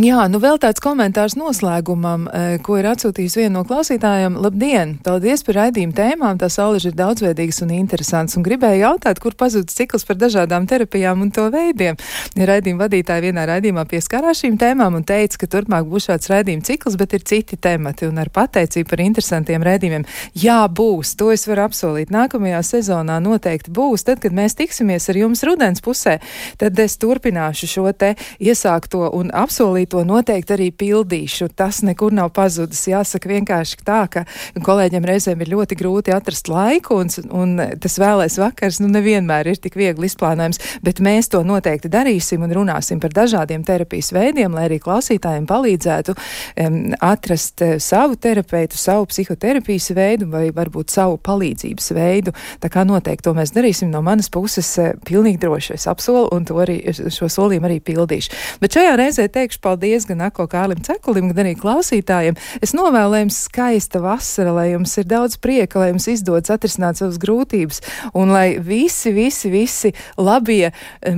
Jā, nu vēl tāds komentārs noslēgumam, ko ir atsūtījis viena no klausītājiem. Labdien! Paldies par raidījumu tēmām, tās alaži ir daudzveidīgas un interesants, un gribēju jautāt, kur pazudis cikls par dažādām terapijām un to veidiem. Ja raidījuma vadītāja vienā raidījumā pieskarās šīm tēmām un teica, ka turpmāk būs šāds raidījuma cikls, bet ir citi temati, un ar pateicību par interesantiem raidījumiem. Jā, būs, to es varu apsolīt. Nākamajā sezonā noteikti būs, tad, kad mēs tiksimies ar jums rudens pusē, tad es turpināšu šo te iesākto un apsolīt to noteikti arī pildīšu. Tas nekur nav pazudis. Jāsaka vienkārši tā, ka kolēģiem reizēm ir ļoti grūti atrast laiku, un, un tas vēlais vakars nu nevienmēr ir tik viegli izplānojams, bet mēs to noteikti darīsim un runāsim par dažādiem terapijas veidiem, lai arī klausītājiem palīdzētu um, atrast uh, savu terapeitu, savu psihoterapijas veidu vai varbūt savu palīdzības veidu. Tā kā noteikti to mēs darīsim no manas puses uh, pilnīgi droši. Es apsolu un to arī, šo solījumu arī pildīšu. Bet šajā reizē teikšu paldies gan Ako Kārlim Cekulim, gan arī klausītājiem. Es novēlu, lai jums skaista vasara, lai jums ir daudz prieka, lai jums izdodas atrisināt savas grūtības, un lai visi, visi, visi labie,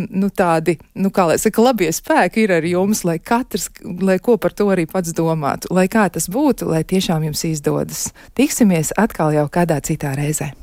nu tādi, nu kā lai saka, labie spēki ir ar jums, lai katrs, lai ko par to arī pats domātu, lai kā tas būtu, lai tiešām jums izdodas. Tiksimies atkal jau kādā citā reizē.